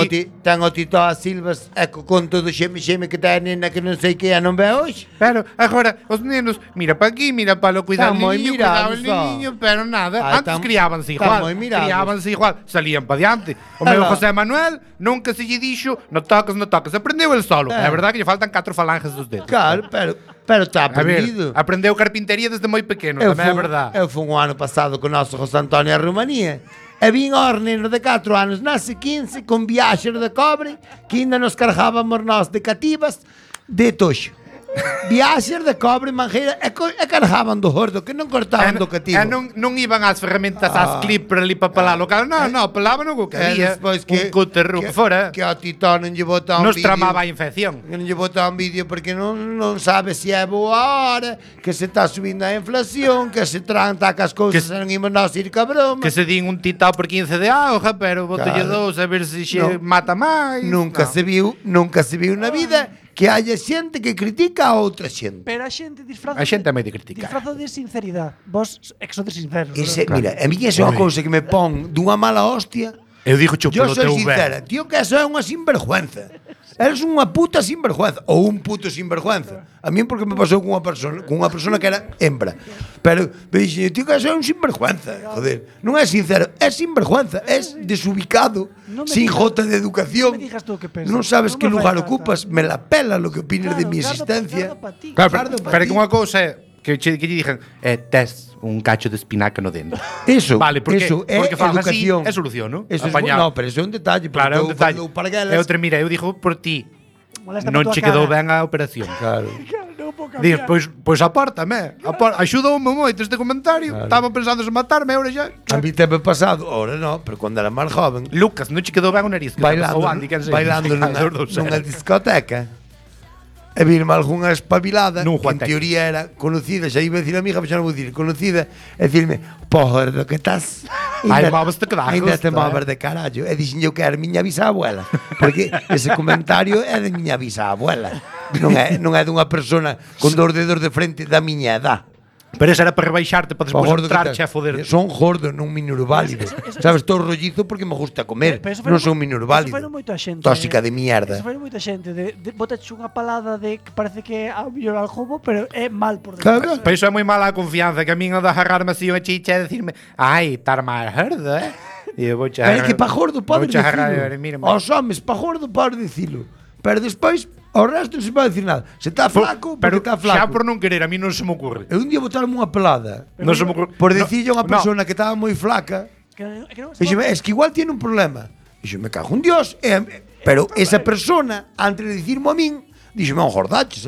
o Tito a Silvas e con todo o xeme que ten nena que non sei que é non bebe hoxe. Pero agora, os nenos, mira pa aquí, mira pa lo, cuidado Están moi cuidado mirados, niño, pero nada. Ai, Antes criábanse están igual, moi mirados. criábanse igual, salían pa diante. O meu Alá. José Manuel nunca se lle dixo, no toques, aprendeu el solo. É verdade que lle faltan 4 falanges dos dedos. Claro, pero está A ver, aprendido. aprendeu carpintería desde moi pequeno, tamén é verdade. Eu fui un ano pasado con o noso José Antonio a Rumanía. E vin aos nenos de 4 anos, nasce 15, con viaxer de cobre, que ainda nos cargábamos nós de cativas, de toxo. Viaxer de cobre, manjeira, e cargaban do gordo, que non cortaban do cativo. E non iban ás ferramentas, ás clipper ali para pelar o cal. Non, pelaban o que había. despois Un cúter que fora. Que ao Tito non lle bota un Nos vídeo. tramaba a infección. Que non lle bota un vídeo porque non sabe se é boa hora, que se está subindo a inflación, que se tranta as cousas e non imos nós ir ca broma. Que se din un titao por 15 de auga, pero botolle Claro. dous a ver se xe No. mata máis. Nunca se viu na vida que haya xente que critica a outra xente. Pero a xente disfraza A xente é moi de criticar. disfrazo de sinceridade. Vos sodes sinceros. Ese, ¿verdad? mira, a mí esa é unha cousa que me pon dunha mala hostia. Eu digo cho Yo polo soy teu sincera, ben. tío, que eso é unha sinvergüenza. Eres unha puta sinvergüenza ou un puto sinvergüenza. A mí porque me pasou cunha persona que era hembra. Pero me dixen, tío, que eso é un sinvergüenza. Joder, non é sincero, é sinvergüenza, é desubicado, No me sin digas- jota de educación. no me digas tú qué pensas. Non sabes No que me lugar fai falta. ocupas, me la pela lo que opines de Claro, mi gardo- existencia. gardo pa ti. Claro, Gardo pa pero ti. que unha cousa é que lle dixen, tes un cacho de espinaca no dente. Eso, Vale, porque, eso é porque faz educación. así, é solución, non? Eso Apañado. no, pero eso é un detalle. Claro, é un porque eu detalle. falo parguelas. E outra, mira, eu digo por ti, Molesta non pa tua che quedou cara. ben a operación. Claro. Claro, non vou cambiar. Diz, pois apártame, axudoume moito este comentario. Estaba pensando en matarme, ahora xa. A mí te me pasado, ahora no, pero cuando era máis joven, Lucas, non che quedou ben o nariz. que bailando, o Andy, quen sei. bailando Os dous nunha eran. discoteca. E virme algunha espabilada Nun que en Juanteca. teoría era conocida, xa iba a decir amiga, pero xa non vou dicir conocida, e dicirme, porra, que estás? Ai, móveste que dá Ainda te gusto, moves de carallo. E dixen eu que era miña bisabuela, porque ese comentario é de miña bisabuela. Non é dunha persona con dos dedos de frente da miña edad. Pero esa era para rebaixarte, para Pa despois gordo que entrarche a estás. foder. Son gordo, non minusválido. Sabes, estou rollizo porque me gusta comer. Pero eso Non foi- son minusválido. eso foi moita xente. Tóxica de mierda. Eso foi moita xente de botache unha palada de que parece que é ao mellor algo bo, pero é mal por dentro. Claro. Pero iso é moi mala a confianza, que a min o de agarrarme así unha chicha e decirme, ai, estar máis gordo, E eu vou Pero é que pa gordo podes dicilo. Mira, Aos homes, pa gordo podes dicilo. Pero despois, ao resto non se pode dicir nada. Se está flaco, pero porque está xa flaco. por non querer, a mí non se me ocurre. Eu un día botaron unha pelada Non se me ocurre. por dicirlle a unha No, persona que estaba moi flaca. Que non Dixeme, es que igual tiene un problema. Dixo, me cago en Dios. Pero esa persona, antes de dicirmo a min, dixeme, un gordaches,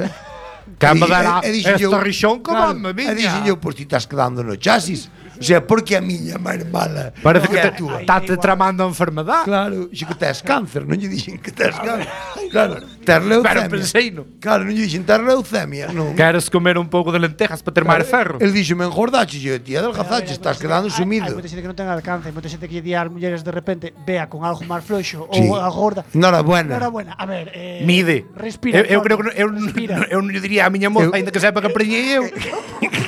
Que me dará dixen esta eu, rixón que claro, vame, E viña. dixen eu, pois ti estás quedando no chasis. O sea, porque a miña é máis mala. Parece que a túa. te tramando a enfermedad. Claro, dixo que tes cáncer, non lle dixen que tes cáncer. Claro, tes leucemia. Pero penseino. Claro, non lle dixen tes leucemia, non. Queres comer un pouco de lentejas para ter máis ferro? El dixo, me engordaches, e eu, tía, adelgazaches, estás quedando Hai sumido. moita xente que non ten alcance, hai moita xente que lle di ás mulleres de repente vea con algo máis floxo Sí. ou a gorda. Enhorabuena. Enhorabuena. A ver, Mide. Respira. Eu creo que Respira. eu non lle diría a miña moza, ainda que sepa que preñei eu.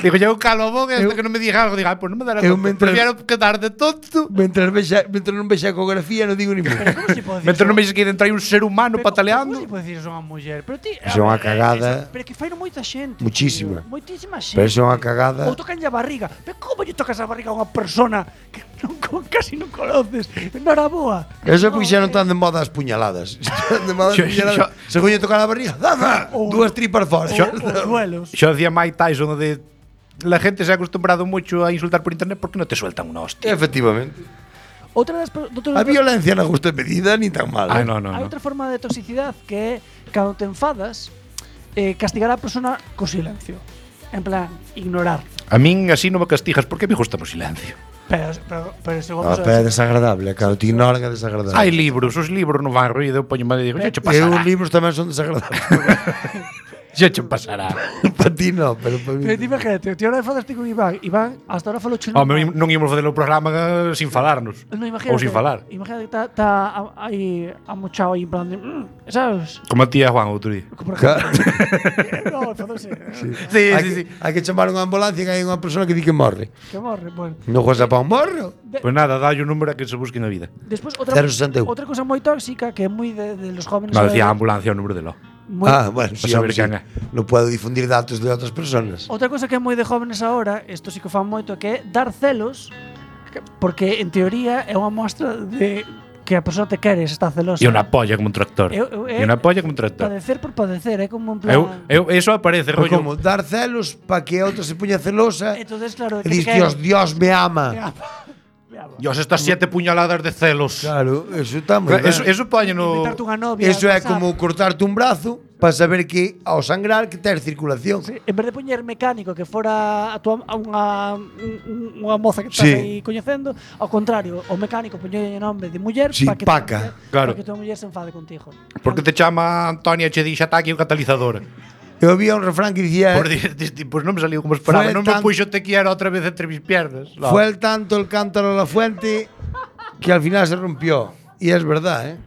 Digo, eu calo a boca, hasta que non me diga algo, diga, pois non me dará Eu conta. mentre- Prefiero quedar de tonto. Mentre non vexa a ecografía, non digo ni mu. Pero como se pode Mentre non me dixe que dentro hai un ser humano pataleando. Como se pode dicir eso a unha muller? Pero ti, Iso é unha cagada. Pero que faino moita xente. Muchísima. tío. Moitísima xente. Pero iso é unha cagada. Ou tocanlle a barriga. Pero como lle tocas a barriga a unha persona que casi non conoces? Noraboa. Eso é porque xa non están de moda as puñaladas. Están de moda as Xo- puñaladas. Según lle tocar a barriga, ¡zama! Dúas tripas fora. Os duelos. Xo decía Mike Tyson de la gente se ha acostumbrado mucho a insultar por internet porque no te sueltan una hostia. Efectivamente. A violencia na justa medida ni tan mal. Ai, no. Hai outra forma de toxicidade que é cando te enfadas, castigar a persona co silencio. En plan, ignorar. A min así non me castigas porque me gusta o silencio. Pero se vamos Pero é desagradable, claro, te ignoran é desagradable. Hai libros, os libros non van ruído, eu poño mal e digo, xe che E os pasará. libros tamén son desagradables. Xe che pasará. Para ti non, pero para mí. Pero ti imagínate, ti ahora falaste con Iván hasta ahora falou chulo. Non ímos facer o programa sin falarnos. No, imagínate, Ou sin falar. Imagínate que está aí amochado aí en plan de, ¿sabes? Como a tía Juan outro día. Por ejemplo. No, enfadouse. Sí, Hai que chamar unha ambulancia que hai unha persona que di que morre. Que morre, bueno. Non cosa pa un morro. Pois nada, dalle un número a que se busque na vida. Despois 061. outra cosa moi tóxica que é moi de los jóvenes. Me decía a ambulancia o número de lo. Bueno, sí, saber hombre, sí. quen é. Non podo difundir datos de outras personas. Outra cosa que é moi de jóvenes ahora, isto sí que fan moito, que é dar celos, porque en teoría é unha mostra de que a persona te quere, se está celosa. E unha polla como un tractor. E unha polla como un tractor. Padecer por padecer, é como en plan. Eso aparece, Pero rollo. como dar celos para que a outra se puña celosa Entonces, claro, e dis, Dios me ama. Dios, estas 7 puñaladas de celos. Claro, eso está moi ben. Eso poñe no... Invitarte unha novia. Eso é WhatsApp. como cortarte un brazo para saber que ao sangrar que tes circulación. Sí, en vez de poñer mecánico que fora unha moza que estás Sí. aí coñecendo, ao contrario, o mecánico poñer nome de muller Sí, para que paca. Claro. para que tua muller se enfade contigo. Porque te chama Antonia che di xa está aquí o catalizador. Eu había un refrán que dicía Por pues non me saliu como esperaba. Fue Non me tan- puxo te quiero outra vez entre mis piernas. No. fue el tanto el cántaro a la fuente que al final se rompió. Y es verdad, ¿eh?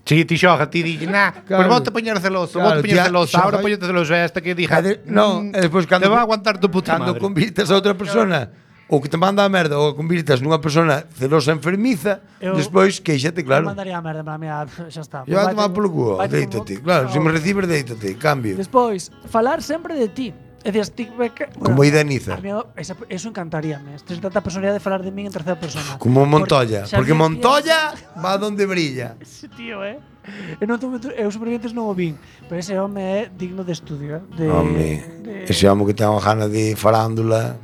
Sí, ti xoga, ti di, nah, Claro. pues vou te poñer celoso, Claro, vou te poñer tía, celoso, xoga- ahora poñete celoso esta que dija. No, e despois cando te va a aguantar tu puta cando madre. convirtes a outra persona ou que te manda a merda ou convirtes nunha persona celosa enfermiza, despois queixate, Eu claro. mandaría a merda, para mí, xa está. Yo a tomar polo culo, Vaite deítate. como- Claro, se me No. recibes, deítate, cambio. Despois, falar sempre de ti. É dicir, Como Ideniza. Eso encantaríame. Tens tanta personalidade de falar de min en terceira persona. Como Montoya, Xa porque vi- Montoya va donde brilla. Ese tío, eu Supervivientes non o vin, pero ese home é digno de estudio. Ese home que ten unha gana de farándula.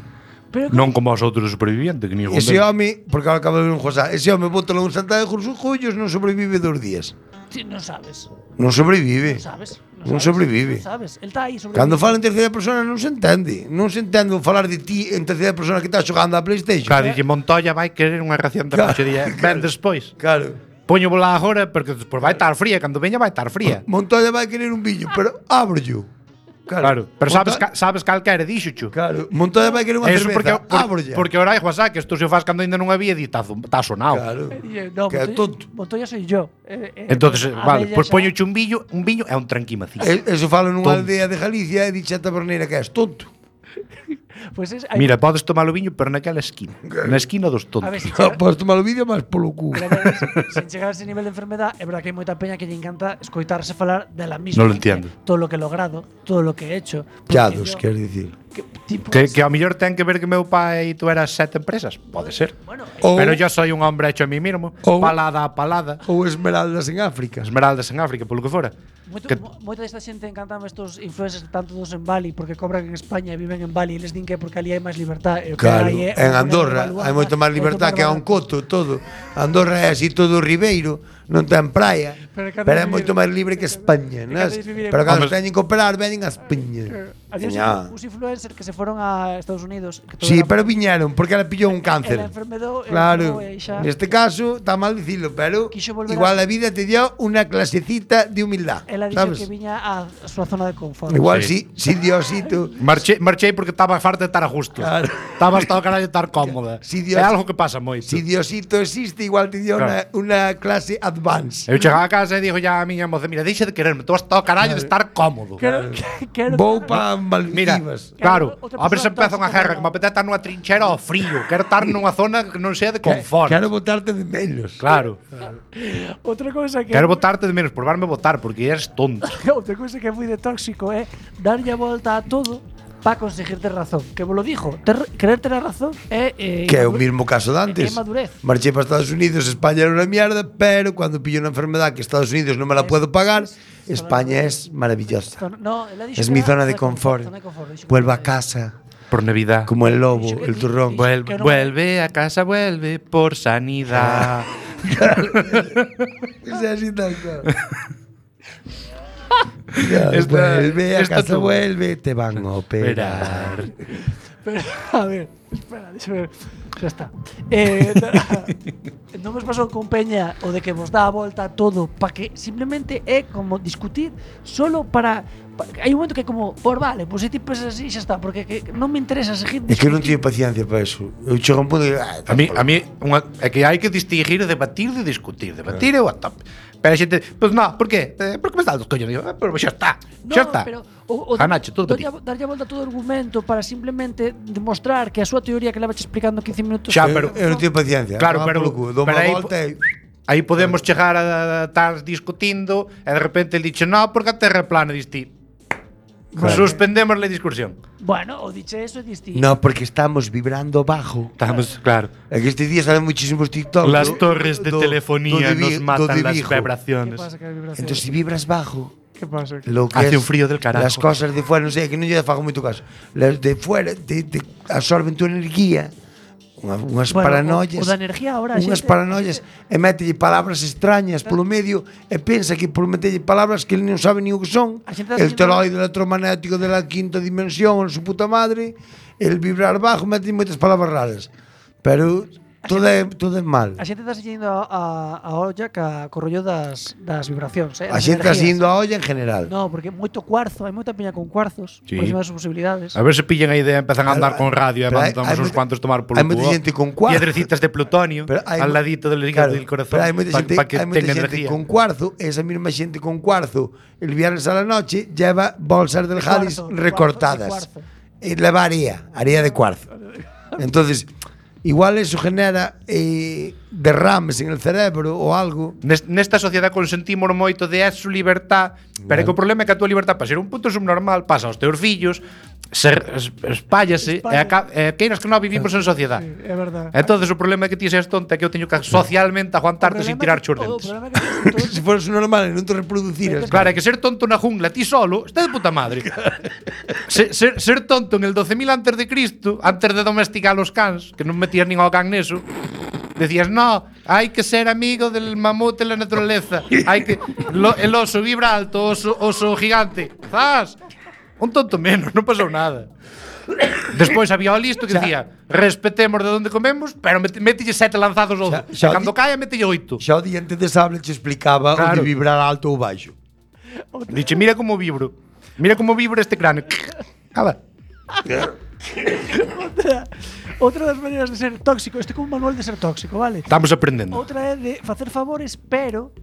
Pero Non como os outros supervivientes, que ni Ese home, porque ahora acabo de ver un José, ese home bótalo en Santa de Jullos non sobrevive 2 días. ti non sabes. Non sobrevive. Non sabes. Non sobrevive. Non sabes. El está aí sobrevive. Cando fala en terceira persona non se entende. Non se entende o falar de ti en terceira persona que estás xogando a PlayStation. Claro, dixe Montoya vai querer unha ración de Claro, noche día. Ben despois. Claro. Poño bola agora porque despois vai estar fría, cando veña vai estar fría. Montoya vai querer un viño, pero ábrollo. Claro, pero sabes cal quere, dixocho. Claro, Montoya vai querer unha Eso cerveza, porque ábrolla. ahora hai WhatsApp, que isto se faz cando ainda non había e está sonado. Claro. No, Que é tonto. Montoya soy yo. Entonces, A vale, bella pois xa- poño un viño é un tranquimacín. Eso falo nunha Tonto. aldea de Galicia e dixe a taberneira que és tonto. Pues es, Mira, podes tomar o viño, pero naquela esquina. Na esquina dos a tontos. ver, si chega, Podes tomar o vídeo máis polo cu. pero a ver, sin chegar a ese nivel de enfermedad, é verdad que hai moita peña que lle encanta escoitarse falar de la misma. Non lo entiendo. Todo lo que he logrado, todo lo que he hecho. Porque Chados, yo- quer dicir. Que ao mellor ten que ver que meu pai e tú eras 7 empresas. Pode ser. Bueno, Ou- Pero yo soy un hombre hecho a mí mismo. Ou- Palada a palada. Ou esmeraldas en África. Esmeraldas en África, polo que fora. Que- moita desta xente encantan estos influencers tanto dos en Bali porque cobran en España e viven en Bali e les din que é porque ali hai máis libertad. E o que Claro, hai é en unha Andorra maneira de hai moita máis evaluar libertad e que a un coto, todo. Andorra é así todo ribeiro, non ten praia, Pero cando pero é vivir- moito máis libre que España, cando nas? vivir en- Pero cando Hombre, teñen que operar, veñen a España. Había Veña. uns influencers que se foron a Estados Unidos. Que todo Sí, era- pero viñeron porque ela pillou un cáncer. Ela enfermedou, Claro, e xa- neste caso está mal dicilo, pero Quixo volver igual a- a vida te dio unha clasecita de humildad, Ela dixo sabes? que viña a súa zona de confort. Igual Sí. si Diosito, Marchei porque estaba farta de estar a gusto. Claro. Estaba hasta o carallo de estar cómoda. Si É algo que pasa moito. si Diosito existe, igual te dio Claro. unha clase advance. Eu chegaba a casa e digo ya a miña moza, mira, deixa de quererme, tú hasta o carallo de estar cómodo. Quero Vou pa Mira, Maldivas. claro, Outra a ver se persona empeza unha tóxica, guerra pero que me apetece estar nunha trinchera ao frío. Quero estar nunha zona que non sea de confort. Quero botarte de menos. Claro. Outra cousa que Quero botarte de menos, probarme botar, porque eres tonto. outra cousa que é moi de tóxico é darlle a volta a todo para conseguir ter razón. Que vos lo dijo, querer ter a razón é Que é o mismo caso de antes. É madurez. Marchei para Estados Unidos, España era unha mierda, pero cuando pillo unha enfermedad que Estados Unidos non me la puedo pagar, España es maravillosa. No, ela dixo Es que mi era zona de confort. zona de confort, dixo que Vuelvo a era- casa, Por Navidad. Como el lobo, el turrón. Vuelve a casa, vuelve por sanidad. Es así tal cual. Vuelve a casa, vuelve, te van a operar. Pero, a ver, espera, deixa ver. Xa está. Non vos pasou con Peña o de que vos dá a volta a todo para que simplemente é como discutir solo para hai un momento que é como, por vale, pois se ti pensas así xa está, porque que non me interesa seguir É que eu non teño paciencia para eso. Eu chego a un punto de A mí é que hai que distinguir debatir de discutir. Debatir é o top. Pero a xente, pois non, por qué? Porque me está dos coños. Digo, pero xa está. Xa está. Pero Janacho, todo para ti. darlle a volta a todo o argumento para simplemente demostrar que a súa teoría que levache explicando 15 minutos Xa, pero eu non teño paciencia. Claro, Toma pero- polo cu, dou pero unha aí- volta e aí podemos chegar a estar discutindo e de repente el dixe, no, porque a terra é plana, diste. Suspendemos la discusión. Bueno, o diche eso e diste. No, porque estamos vibrando bajo. Estamos, claro. É que estes días salen muchísimos TikTok. Las torres de telefonía nos matan las ¿Qué vibraciones. pasa que hai vibración? Entonces, si vibras bajo, ¿Qué pasa? lo que Hace es un frío del carajo. las cosas de fuera, non sei, que non lle fago moito caso. Las de fuera te absorben tu energía. Unhas paranoias. O da energía ahora a Unhas xente- paranoias e mételle palabras extrañas polo medio e pensa que por metelle palabras que ele non sabe ni o que son. A xente está El dicindo- toroide electromagnético de la quinta dimensión, su puta madre, el vibrar bajo, mete moitas palabras raras. Pero todo é mal. A xente está seguindo a olla co rollo das vibracións, A das xente está energías. seguindo a olla en general. No, porque moito cuarzo, hai moita peña con cuarzos, Sí. por encima das posibilidades. A ver se pillan a idea e empezan a andar con radio e Pero hai mandamos uns moita- cuantos tomar polo hai moita cubo. xente con cuarzo. Piedrecitas de plutonio Pero hai al mo- ladito del hígado del corazón Pero hai moita xente, para que hai moita tenga xente energía. con cuarzo, esa mesma xente con cuarzo, el viernes a la noche lleva bolsas del Jadis cuarzo, de recortadas. cuarzo. Y leva haría de cuarzo. Entonces, igual eso genera derrames en el cerebro o algo. Nesta sociedade consentimos moito de eso libertad, pero é que o problema é que a túa libertad para ser un puto subnormal pasa aos teus fillos, espállase e queiras que non vivimos en sociedade. Sí, é verdade. Entonces o problema é que ti seas tonta, que eu teño que socialmente aguantarte sin tirar os O dentes. problema é que todos Si fueras normal e non te reproduciras. Claro, é que ser tonto na jungla ti solo está de puta madre. ser tonto en el 12.000 antes de Cristo, antes de domesticar los cans, que non metías nin ao can neso, decías, no, hai que ser amigo del mamut en la naturaleza, hai que el oso vibra alto, oso gigante. ¡Zas! Un tonto menos, non pasou nada. Despois había o listo que decía, respetemos de onde comemos, pero mételle 7 lanzados ao oso. Xa E cando caia, mételle 8. Xa o diante de sable te explicaba Claro. o de vibrar alto ou baixo. Diche, mira como vibro. Mira como vibra este cráneo. Cala. outra das maneiras de ser tóxico, este é como un manual de ser tóxico, vale? Estamos aprendendo. Outra é de facer favores, pero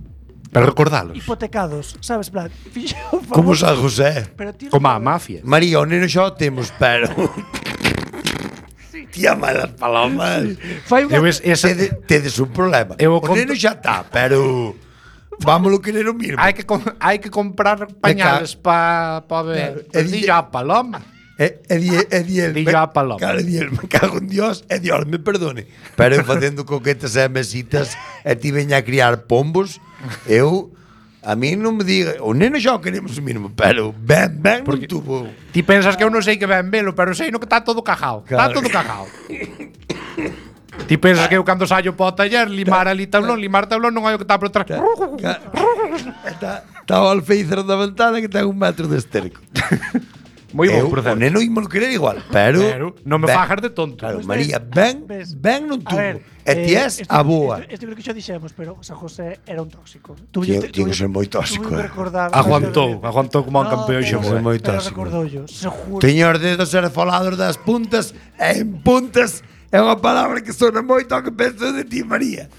Pero recordalos. hipotecados, sabes, plan, fixo un favor, Como San José. pero tío, Como a mafia. María, o neno xa o temos, pero... Tía malas palomas. fai unha, Eu esa, Tedes un problema. Eu O conto- neno xa está, pero... Vámoslo querer o mismo. hai que comprar pañales para ver. Claro, Di ya paloma. Di el, Di yo a paloma. Claro, di el, me cago en Dios, Dios me perdone. Pero eu facendo coquetas e mesitas e ti veña a criar pombos, a mí non me diga, o neno xa o queremos o mínimo, pero ben non tuvo. Ti pensas que eu non sei que ben velo, pero sei no que está todo cajao. Está Claro. todo cajao. Ti pensas que eu cando saio para o taller limar tablón non hai o que está por detrás. Está o alféizar da ventana que ten 1 metro de esterco. Moi bo, O por certo. neno ímolo querer igual, pero non me ben. fajas de tonto. Claro, Pues María, ves. ben non a tuvo. ver, E ti és a boa. Isto creo que xa dixemos, pero San José era un tóxico. Tiene que ser moi tóxico, Aguantou como un campeón Tiene que ser moi tóxico. Recordoulle, seguro. Teño os dedos esfolados das puntas e en puntas é unha palabra que sona moito ao que penso de ti, María.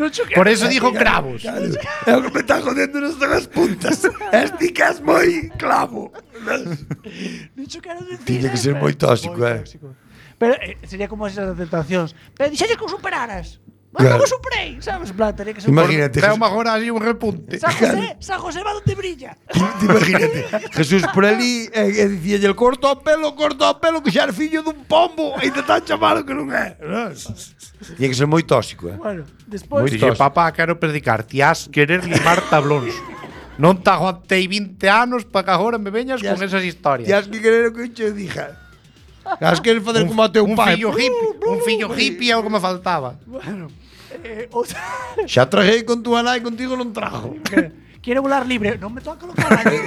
Non cho Por eso dijo cravos. Claro, é o que me está jodendo non son as puntas. Esti que és moi clavo. Non cho quero dicir. Tiña que ser moi tóxico, tóxico. Pero sería como esas tentacións. Pero dixelles que o superaras. Claro. Non o superei, sabes? En plan, tería que ser Imagínate, Veo agora así un repunte. San José va donde brilla. Imagínate, Jesús por ali e dicíalle el corto o pelo, que xa é fillo dun pombo e te tan chamado que non é. Tiña que ser moi tóxico, Bueno, despois Dixe, papá, quero predicar, ti has querer limar tablóns. Non te aguantei 20 anos para que agora me veñas con esas Ti historias. has que querer o que eu che dixa. As queres facer como o teu Un pai. fillo hippie é o que me faltaba. Bueno, outra. Xa traguei con túa nai, contigo non trajo. Quiere volar libre. Non me toca lo carallo.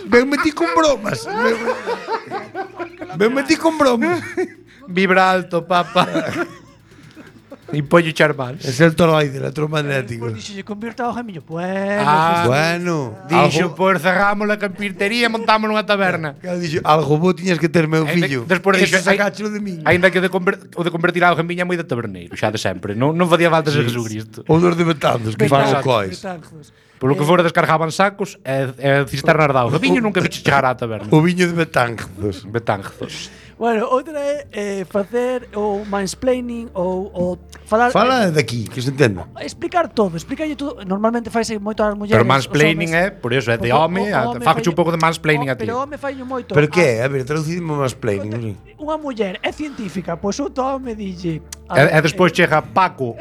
Ben metí con bromas. Ben metí con bromas. Vibra alto, papa. E pollo charmal. Es el toroide, electromagnético. Pois dixo, convierta ao gemiño. Bueno, Ah, Bueno, Dixo, pois cerramos a carpintería e montamos nunha taberna. Claro, dixo, algo bo tiñas que ter, meu Ainda- fillo. despois dixo, Eso sacáchelo de min. Ainda que o de convertir algo en viña é moi de taberneiro, xa de sempre. Non facía falta ser Jesucristo. Ou dos de Betanzos, que fan o cois. Polo que fora descargaban sacos e cisternas de auga. Viño nunca viche chegar á taberna. O viño de Betanzos. Betanzos. Bueno, outra é facer o mansplaining ou falar Fala de aquí, que se entenda. explicar todo, explicarlle todo. Normalmente faise moito ás mulleres. Pero mansplaining é, por iso, é de home, faxe un pouco de mansplaining a ti. Pero home faino moito. Pero que? A ver, traducidimo máis plain. Non sei. Unha muller é científica, pois outro home dille. E despois chega Paco,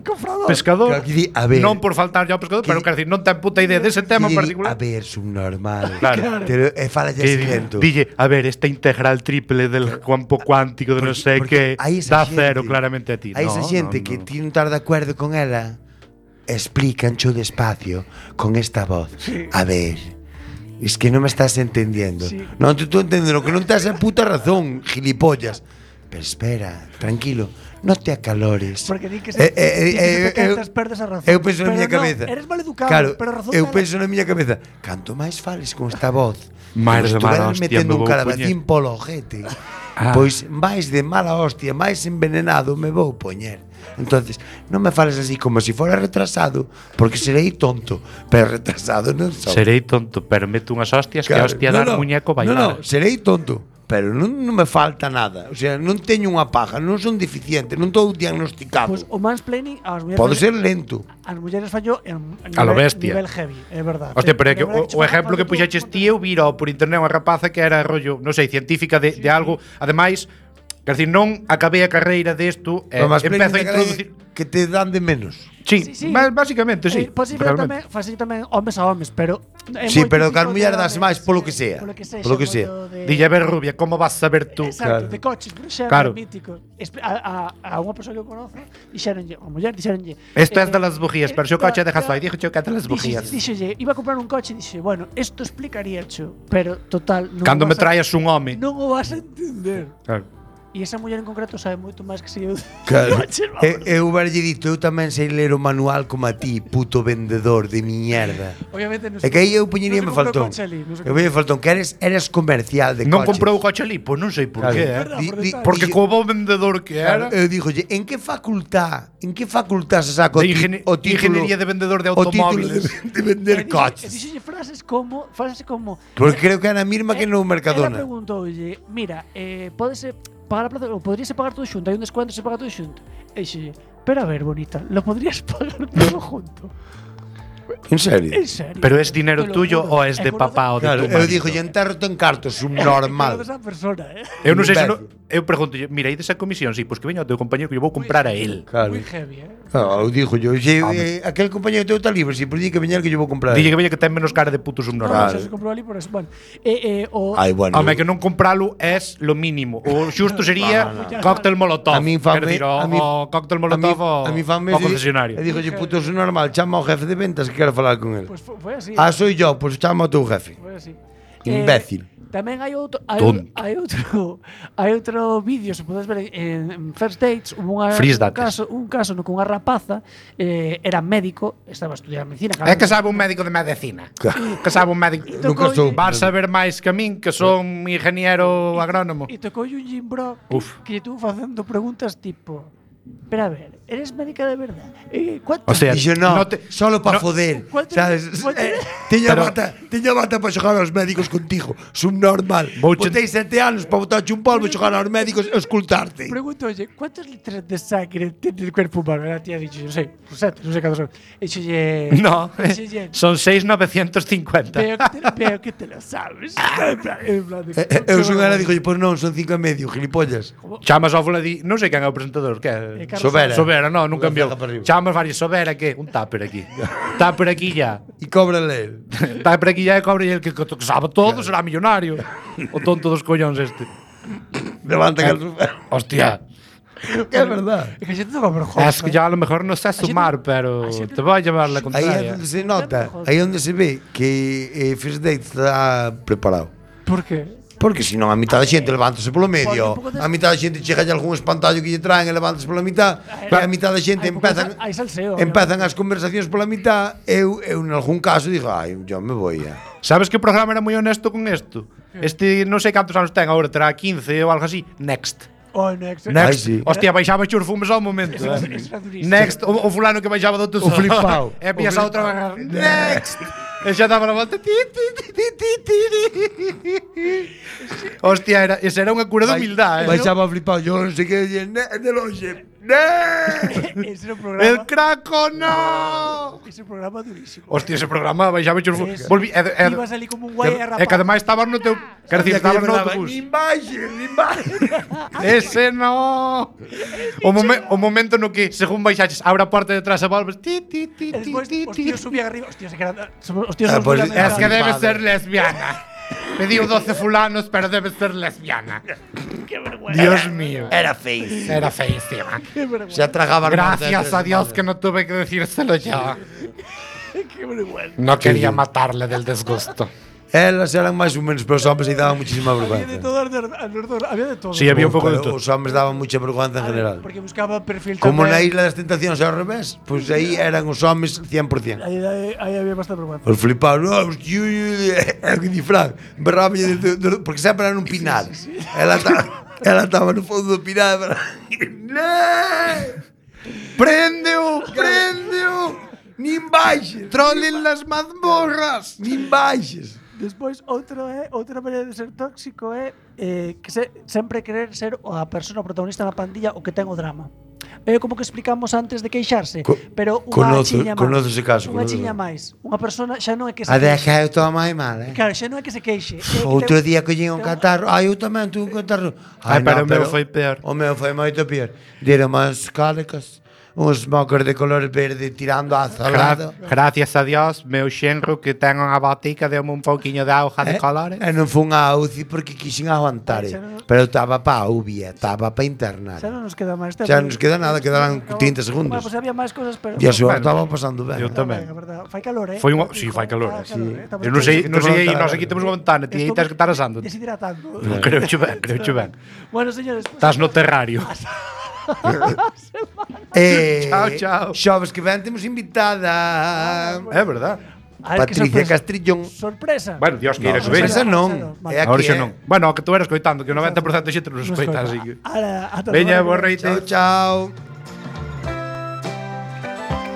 Cofrador. pescador, Claro, que di, a ver. non por faltar ao pescador, pero quero dicir, non ten puta idea dese tema en A particular. ver, subnormal. Claro. Pero fala ya Que lento. dille, a ver, esta integral triple del campo cuántico de non sei que hai esa dá xente- cero claramente a ti. Hai esa xente que ti non estás de acuerdo con ela, explícancho despacio con esta voz. A ver, es que non me estás entendiendo. Sí. Non te estou entendendo, que non te has a puta razón, gilipollas. Pero espera, tranquilo, non te acalores. Porque di que se te quentas, perdes a razón. Eu penso na Pero miña non, cabeza. eres maleducado, Claro, pero a razón eu dela- penso na miña cabeza. Canto máis fales con esta voz, Máis de como mala estuveras hostia metendo me un vou calabacín polo ojete. Pois máis de mala hostia, máis envenenado me vou poñer. Entonces, non me fales así como se fora retrasado, porque serei tonto, pero retrasado non sou. Serei tonto, pero meto unhas hostias que Claro, hostia dar muñeco bailar. No, serei tonto, pero non me falta nada. O sea, non teño unha paja, non son deficiente, non estou diagnosticado. Pois o mansplaining ás mulleres Podo ser lento. as mulleres fallo en A lo bestia. nivel heavy, é verdade. Hostia, pero é que verdade o exemplo que puxaches ti eu viro por internet unha rapaza que era rollo, non sei, científica de algo, ademais, quer decir, non acabei a carreira desto, Pero máis empezo a introducir. que te dan de menos. Sí, Sí. básicamente, sí. Posible realmente. tamén, fase tamén homes a homes, pero é Sí, moi pero típico que as de mulleres das homes, máis polo que sea. Polo que sea. Dille, a ver, rubia, como vas a saber tú? Exacto, Claro. de coches, por exemplo, Claro. mítico. A unha persoa que eu conozo, dixeronlle, a muller dixeronlle. Esto es de las bujías, pero se o coche dejas aí, dixo que é de las bujías. Dixolle, iba a comprar un coche e dixe, bueno, isto explicaría cho, pero total, non Cando o me vas a- traes un home. Non o vas a entender. Claro. E esa muller en concreto sabe moito máis que se eu. Claro. coches, vamos. Eu verlle dito, eu tamén sei ler o manual como a ti, puto vendedor de mierda. Obviamente non É que aí eu puñería me faltón. Eu me faltón que eres comercial de Non coches. comprou o coche ali, pois non sei por Claro. qué, Verdad, por detalle. Porque como bo vendedor que Claro, era, eu dixolle, en que facultad se saca de o título ingeniería de vendedor de o título automóviles. de vender E coches? dixolle frases como Porque creo que era a mesma que no Ela Mercadona. preguntoulle, mira, pódese pagar a plaza, ou poderíase pagar todo xunto, hai un descuento se paga todo xunto. E dixolle, pero a ver, bonita, lo podrías pagar todo junto. En serio? En serio. Pero es dinero Te lo tuyo juro. ou es de papá ou de Claro, tu eu marido? dixolle, enterro-te en cartos, subnormal. Esa persona, Eu non sei se Imbécil. eu pregunto, mira, aí desa comisión, sí, pois que veña o teu compañero que eu vou comprar a él. Claro. Moi heavy, Eu dixo yo, aquel compañero teu está libre, si por di que veñar que yo vou comprar. Dille que veña que ten menos cara de puto No, subnormal. se comprou ali por eso. Bueno, o Ai, bueno. Home, que non compralo es lo mínimo. O xusto sería cóctel molotov. A min fame, Quero dicir, o cóctel molotov a mi fame o concesionario. E dixo, puto, é normal, chama ao jefe de ventas que quero falar con el. pues foi así. Ah, soy yo, pues chama ao teu jefe. Foi así. Imbécil. Tamén hai outro Tonto. hai outro vídeo, se podes ver en First Dates, Freeze dates. un caso no que unha rapaza era médico, estaba a estudiar medicina. É que sabe un médico de medicina. Que sabe un médico. Nunca sou. Vas saber máis que a min, que son ingeniero agrónomo. E tocou un Jimbro Uf. que estuvo facendo preguntas tipo, pero a ver, eres médica de verdad? ¿Cuánto? O sea, Dixo, no, no te- solo para no- foder. ¿Cuánto- Sabes? cuánto- Tiña Pero- bata para xogar aos médicos contigo. Subnormal. Vouche- Botei 7 anos para botarche un polvo e xogar aos médicos e escultarte. Pregunto, oye, ¿cuántos litros de sangre tiene el cuerpo humano? La tía ha dicho, yo sé, pues 7, no sé cuántos son. He dicho, oye, No, Oye, son 6,950. veo que te lo sabes. En plan de- Eu son ela, dixo, pois non, son 5,5, gilipollas. Chamas ao fula di, non sei quen é o presentador, que é? Carlos Sobera. No, nunca enviou. Unha ceja para arriba. Chamas varios Sobera, que un tupper aquí. Tupper aquí ya. E cóbrale el. Tupper aquí ya e cobre el que sabe todo, será millonario. O tonto dos collóns este. Levantan el sofá. Hostia. Que é verdad. É que a xente toca vergonza. Es que yo a lo mejor no sé sumar, pero te voy a llevar la Aí é contraria. onde se nota, aí onde se ve que First Date está preparado. Por qué? Porque senón a mitad da xente levántase polo medio, Porque un pouco a mitad da xente chega algún espantallo que lle traen e levántase pola mitad, e a mitad da xente Hai salseo. empezan as conversacións pola mitad, eu en algún caso digo, ai, yo me voy a... ¿Sabes que programa era moi honesto con esto? Este non sei cantos anos ten agora, terá 15 ou algo así. Next. Oh, next. Ai, sí. Hostia, baixaba os fumes ao momento. Eso era durísimo. Next, o fulano que baixaba do O flipao. E pillas a outra vez. Next. E xa daba a volta. Hostia, esa era unha cura de humildade. Baixaba flipado, yo non sei que de longe. Ese era un programa. El craco, no. Ese programa durísimo. Hostia, ese programa baixaba os fumes. Volví, Ibas ali como un guai a rapar. e que ademais estabas no teu, quero dicir, estabas no autobús. Nin baixe. Ese no. O momento no que según baixaches, abre a porta detrás e volves. E despois, os tíos subían arriba. Hostia, se que eran... Os Ah, tíos pues, subían Es que debe Padre. ser lesbiana. Pediu 12 fulanos, pero debe ser lesbiana. Qué vergüenza. Dios mío. Era feísimo. Era feísima. Qué vergüenza. Se tragaba Gracias a Dios que no tuve que decírselo yo. Qué vergüenza. No quería matarle del disgusto. Elas eran máis ou menos, pero os hombres aí daban muchísima Había de vergüenza. todo, alrededor, había de todo. Sí, había un pouco de todo. Os hombres daban mucha vergüenza en general. Porque buscaba perfil Como na tamén. Isla das Tentacións ao revés, pois aí eran os homes 100%. Aí había bastante vergüenza. Os flipados, no, os tíos, é que di Fran, berraba porque sempre era nun pinar. Ela estaba no fondo do pinar, ¡Prendeo! nin baixes, ¡Trollen las mazmorras! nin baixes. Despois, outra maneira de ser tóxico é que sempre querer ser a persona protagonista na pandilla o que ten o drama. É como que explicamos antes de queixarse, pero unha chiña máis. Conoce ese caso. Unha chiña máis. Unha persona xa non é que se A queixe. deixa eu tomar mal, Claro, xa non é que se queixe. Outro día collín un catarro. Ai, eu tamén tuve un catarro. Ai, pero o meu foi peor. O meu foi moito peor. Deron as cálicas, uns mocos de color verde tirando a azulado. Gracias a Dios, meu xenro que ten unha botica deu-me un pouquiño de auga de colores. E non fun á UCI porque quixen aguantar. Pero eu estaba pa UBI, estaba pa internar. Xa non nos queda máis tempo. Xa non nos queda nada, quedarán 30 segundos. Pues había máis cosas, pero... E a súa Bueno, estaba pasando ben. eu tamén. Fai calor, Foi unha, si, fai calor. Estamos Eu non sei, aí, ventana. nós aquí temos unha ventana, ti aí tens que estar asando. Deshidratando. Creo que ben. Bueno, señores, pues, Estás no terrario. Chao, chao. Xoves que ven temos invitada. É verdad. a ver, que Patricia sorpresa. Castrillón. Sorpresa. Bueno, Dios que No, que veña. sorpresa non. Vale. É Agora aquí, xa non. Bueno, o que tú eras coitando, que o 90% da xente non Nos escoita, coita. así que. Ala, ata Veña, semana que bo ven. reite. Chao, chao.